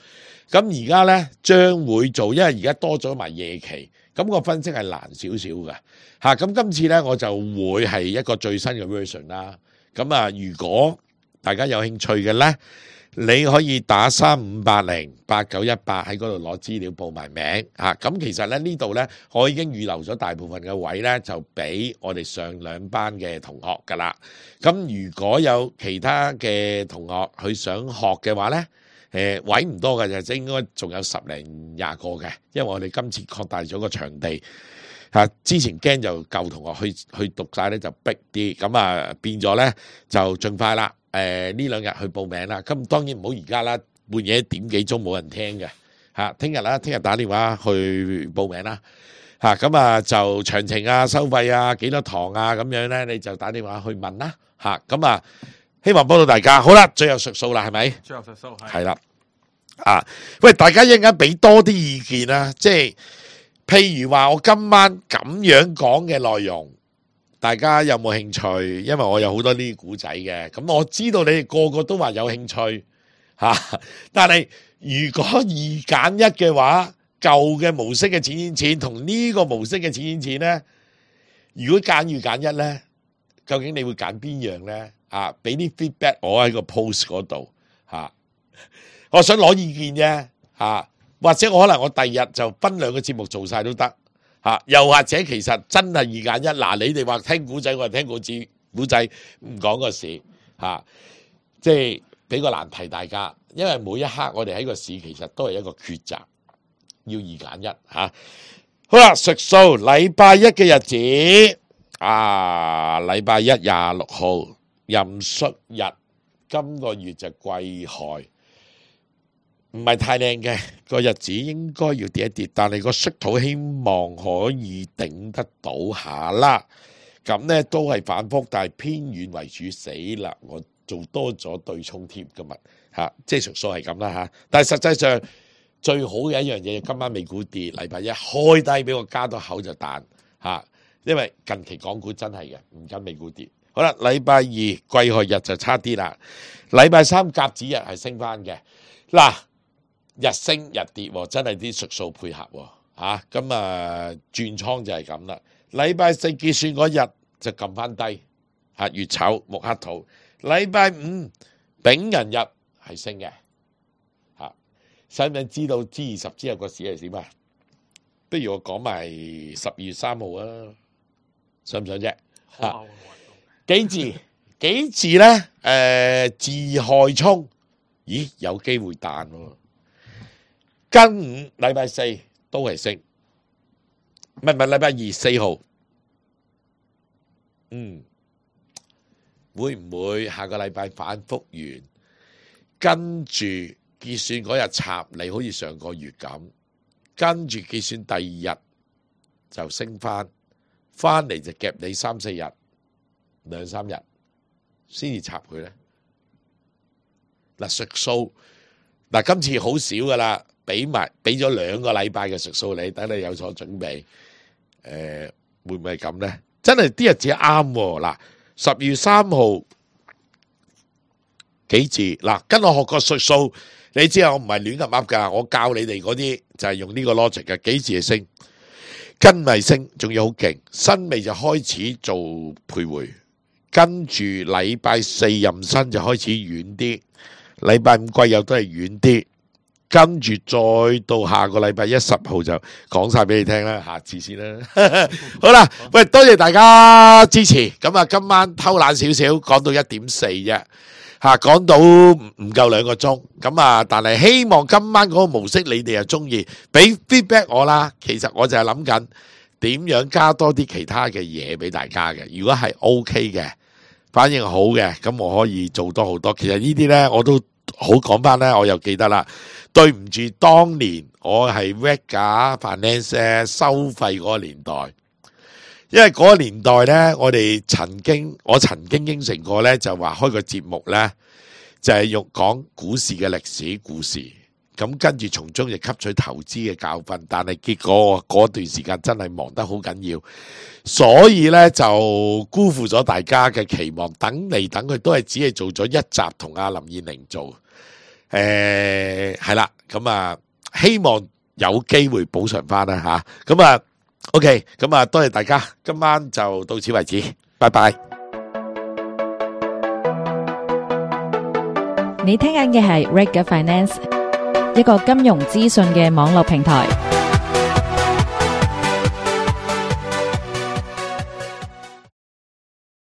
Speaker 3: 咁而家咧將會做，因為而家多咗埋夜期，咁個分析係難少少嘅嚇。咁今次咧我就會係一個最新嘅 version 啦。咁啊，如果大家有興趣嘅咧，你可以打35808918喺嗰度攞資料報埋名嚇。咁其實咧呢度咧，我已經預留咗大部分嘅位咧，就俾我哋上2班嘅同學噶啦。咁如果有其他嘅同學去想學嘅話咧，位唔多嘅就應該仲有10零20個嘅，因為我哋今次擴大咗個場地嚇。之前驚就舊同學去讀晒咧就逼啲，咁啊變咗咧就盡快啦。呢2日去報名啦，咁當然唔好而家啦，半夜1點幾鐘冇人聽嘅嚇。聽日啦，聽日打電話去報名啦嚇。咁啊就詳情啊、收費啊、幾多堂啊咁樣咧，你就打電話去問啦嚇。咁啊，希望幫到大家。好啦，最後述數啦，係咪？最後述數係啦。喂，大家一陣間俾多啲意見啦，即係譬如話我今晚咁樣講嘅內容。大家有冇興趣？因為我有好多呢啲古仔嘅，咁我知道你哋個個都話有興趣嚇，但係如果2揀1嘅話，舊嘅模式嘅錢同呢個模式嘅錢咧，如果揀2揀1咧，究竟你會揀邊樣咧？俾啲 feedback 我喺個 post 嗰度嚇，我想攞意見啫嚇。或者我可能我第日就分兩個節目做晒都得嚇，又或者其實真係二揀一。嗱，你哋話聽古仔，我係聽古仔，唔講個市嚇，即係俾個難題大家，因為每一刻我哋喺個市其實都係一個抉擇，要二揀一嚇。好啦，述數禮拜一嘅日子禮拜一26號壬戌日，今個月就癸亥。唔係太靚嘅個日子，應該要跌一跌，但係個戌土希望可以頂得到下啦。咁呢都係反覆，但係偏遠為主。死啦！我做多咗對沖貼今日嚇，即係述數係咁啦嚇。但係實際上最好嘅一樣嘢，今晚美股跌，禮拜一開低俾我加多口就彈嚇，因為近期港股真係嘅唔跟美股跌。好啦，禮拜二癸亥日就差啲啦，禮拜三甲子日係升翻嘅嗱。日升日跌，真係啲述數配合嚇，咁轉倉就係咁啦。禮拜四結算嗰日就撳翻低嚇，月丑木克土。禮拜五丙寅日係升嘅嚇，使唔使知道G20之後個市係點啊？不如我講埋12月3號啊，想唔想啫？幾字咧？自害沖，咦有機會彈喎。庚午禮拜四都係升，唔係禮拜二4號，會唔會下個禮拜反覆完，跟住結算嗰日插你，好似上個月咁，跟住結算第二日就升翻嚟就夾你3、4日2、3日先至插佢咧？嗱，述數嗱今次好少噶啦。俾咗2個禮拜嘅述數你，等你有所準備。會唔會係咁咧？真係啲日子啱喎。嗱，12月3號幾字？嗱，跟我學過述數，你知我唔係亂咁噏噶，我教你哋嗰啲就係用呢個 logic 嘅。幾字係升，跟咪升，仲要好勁。辛未就開始做徘徊，跟住禮拜四壬申就開始遠啲，禮拜五癸酉都係遠啲。跟住再到下個禮拜10號就講晒俾你聽啦，下次先啦。好啦，喂，多謝大家支持。咁今晚偷懶少少，講到1點4啫，講到唔夠2個鐘。咁但係希望今晚嗰個模式你哋又中意，俾 feedback 我啦。其實我就係諗緊點樣加多啲其他嘅嘢俾大家嘅。如果係 OK 嘅，反應好嘅，咁我可以做多好多。其實呢啲呢，我都好講翻呢，我又記得啦。對唔住，當年我係 Vega Finance 收費嗰個年代，因為嗰個年代呢，我曾經應承過呢，就話開個節目呢，就係講股市嘅歷史故事，咁跟住從中亦吸取投資嘅教訓，但係結果嗰段時間真係忙得好緊要，所以呢，就辜負咗大家嘅期望，等嚟等去都係只係做咗一集同阿林燕玲做。係啦，咁希望有機會補償翻啦吓，咁OK，咁多謝大家，今晚就到此為止，拜拜。
Speaker 5: 你聽緊嘅係 Vega Finance，一個金融資訊嘅網絡平台。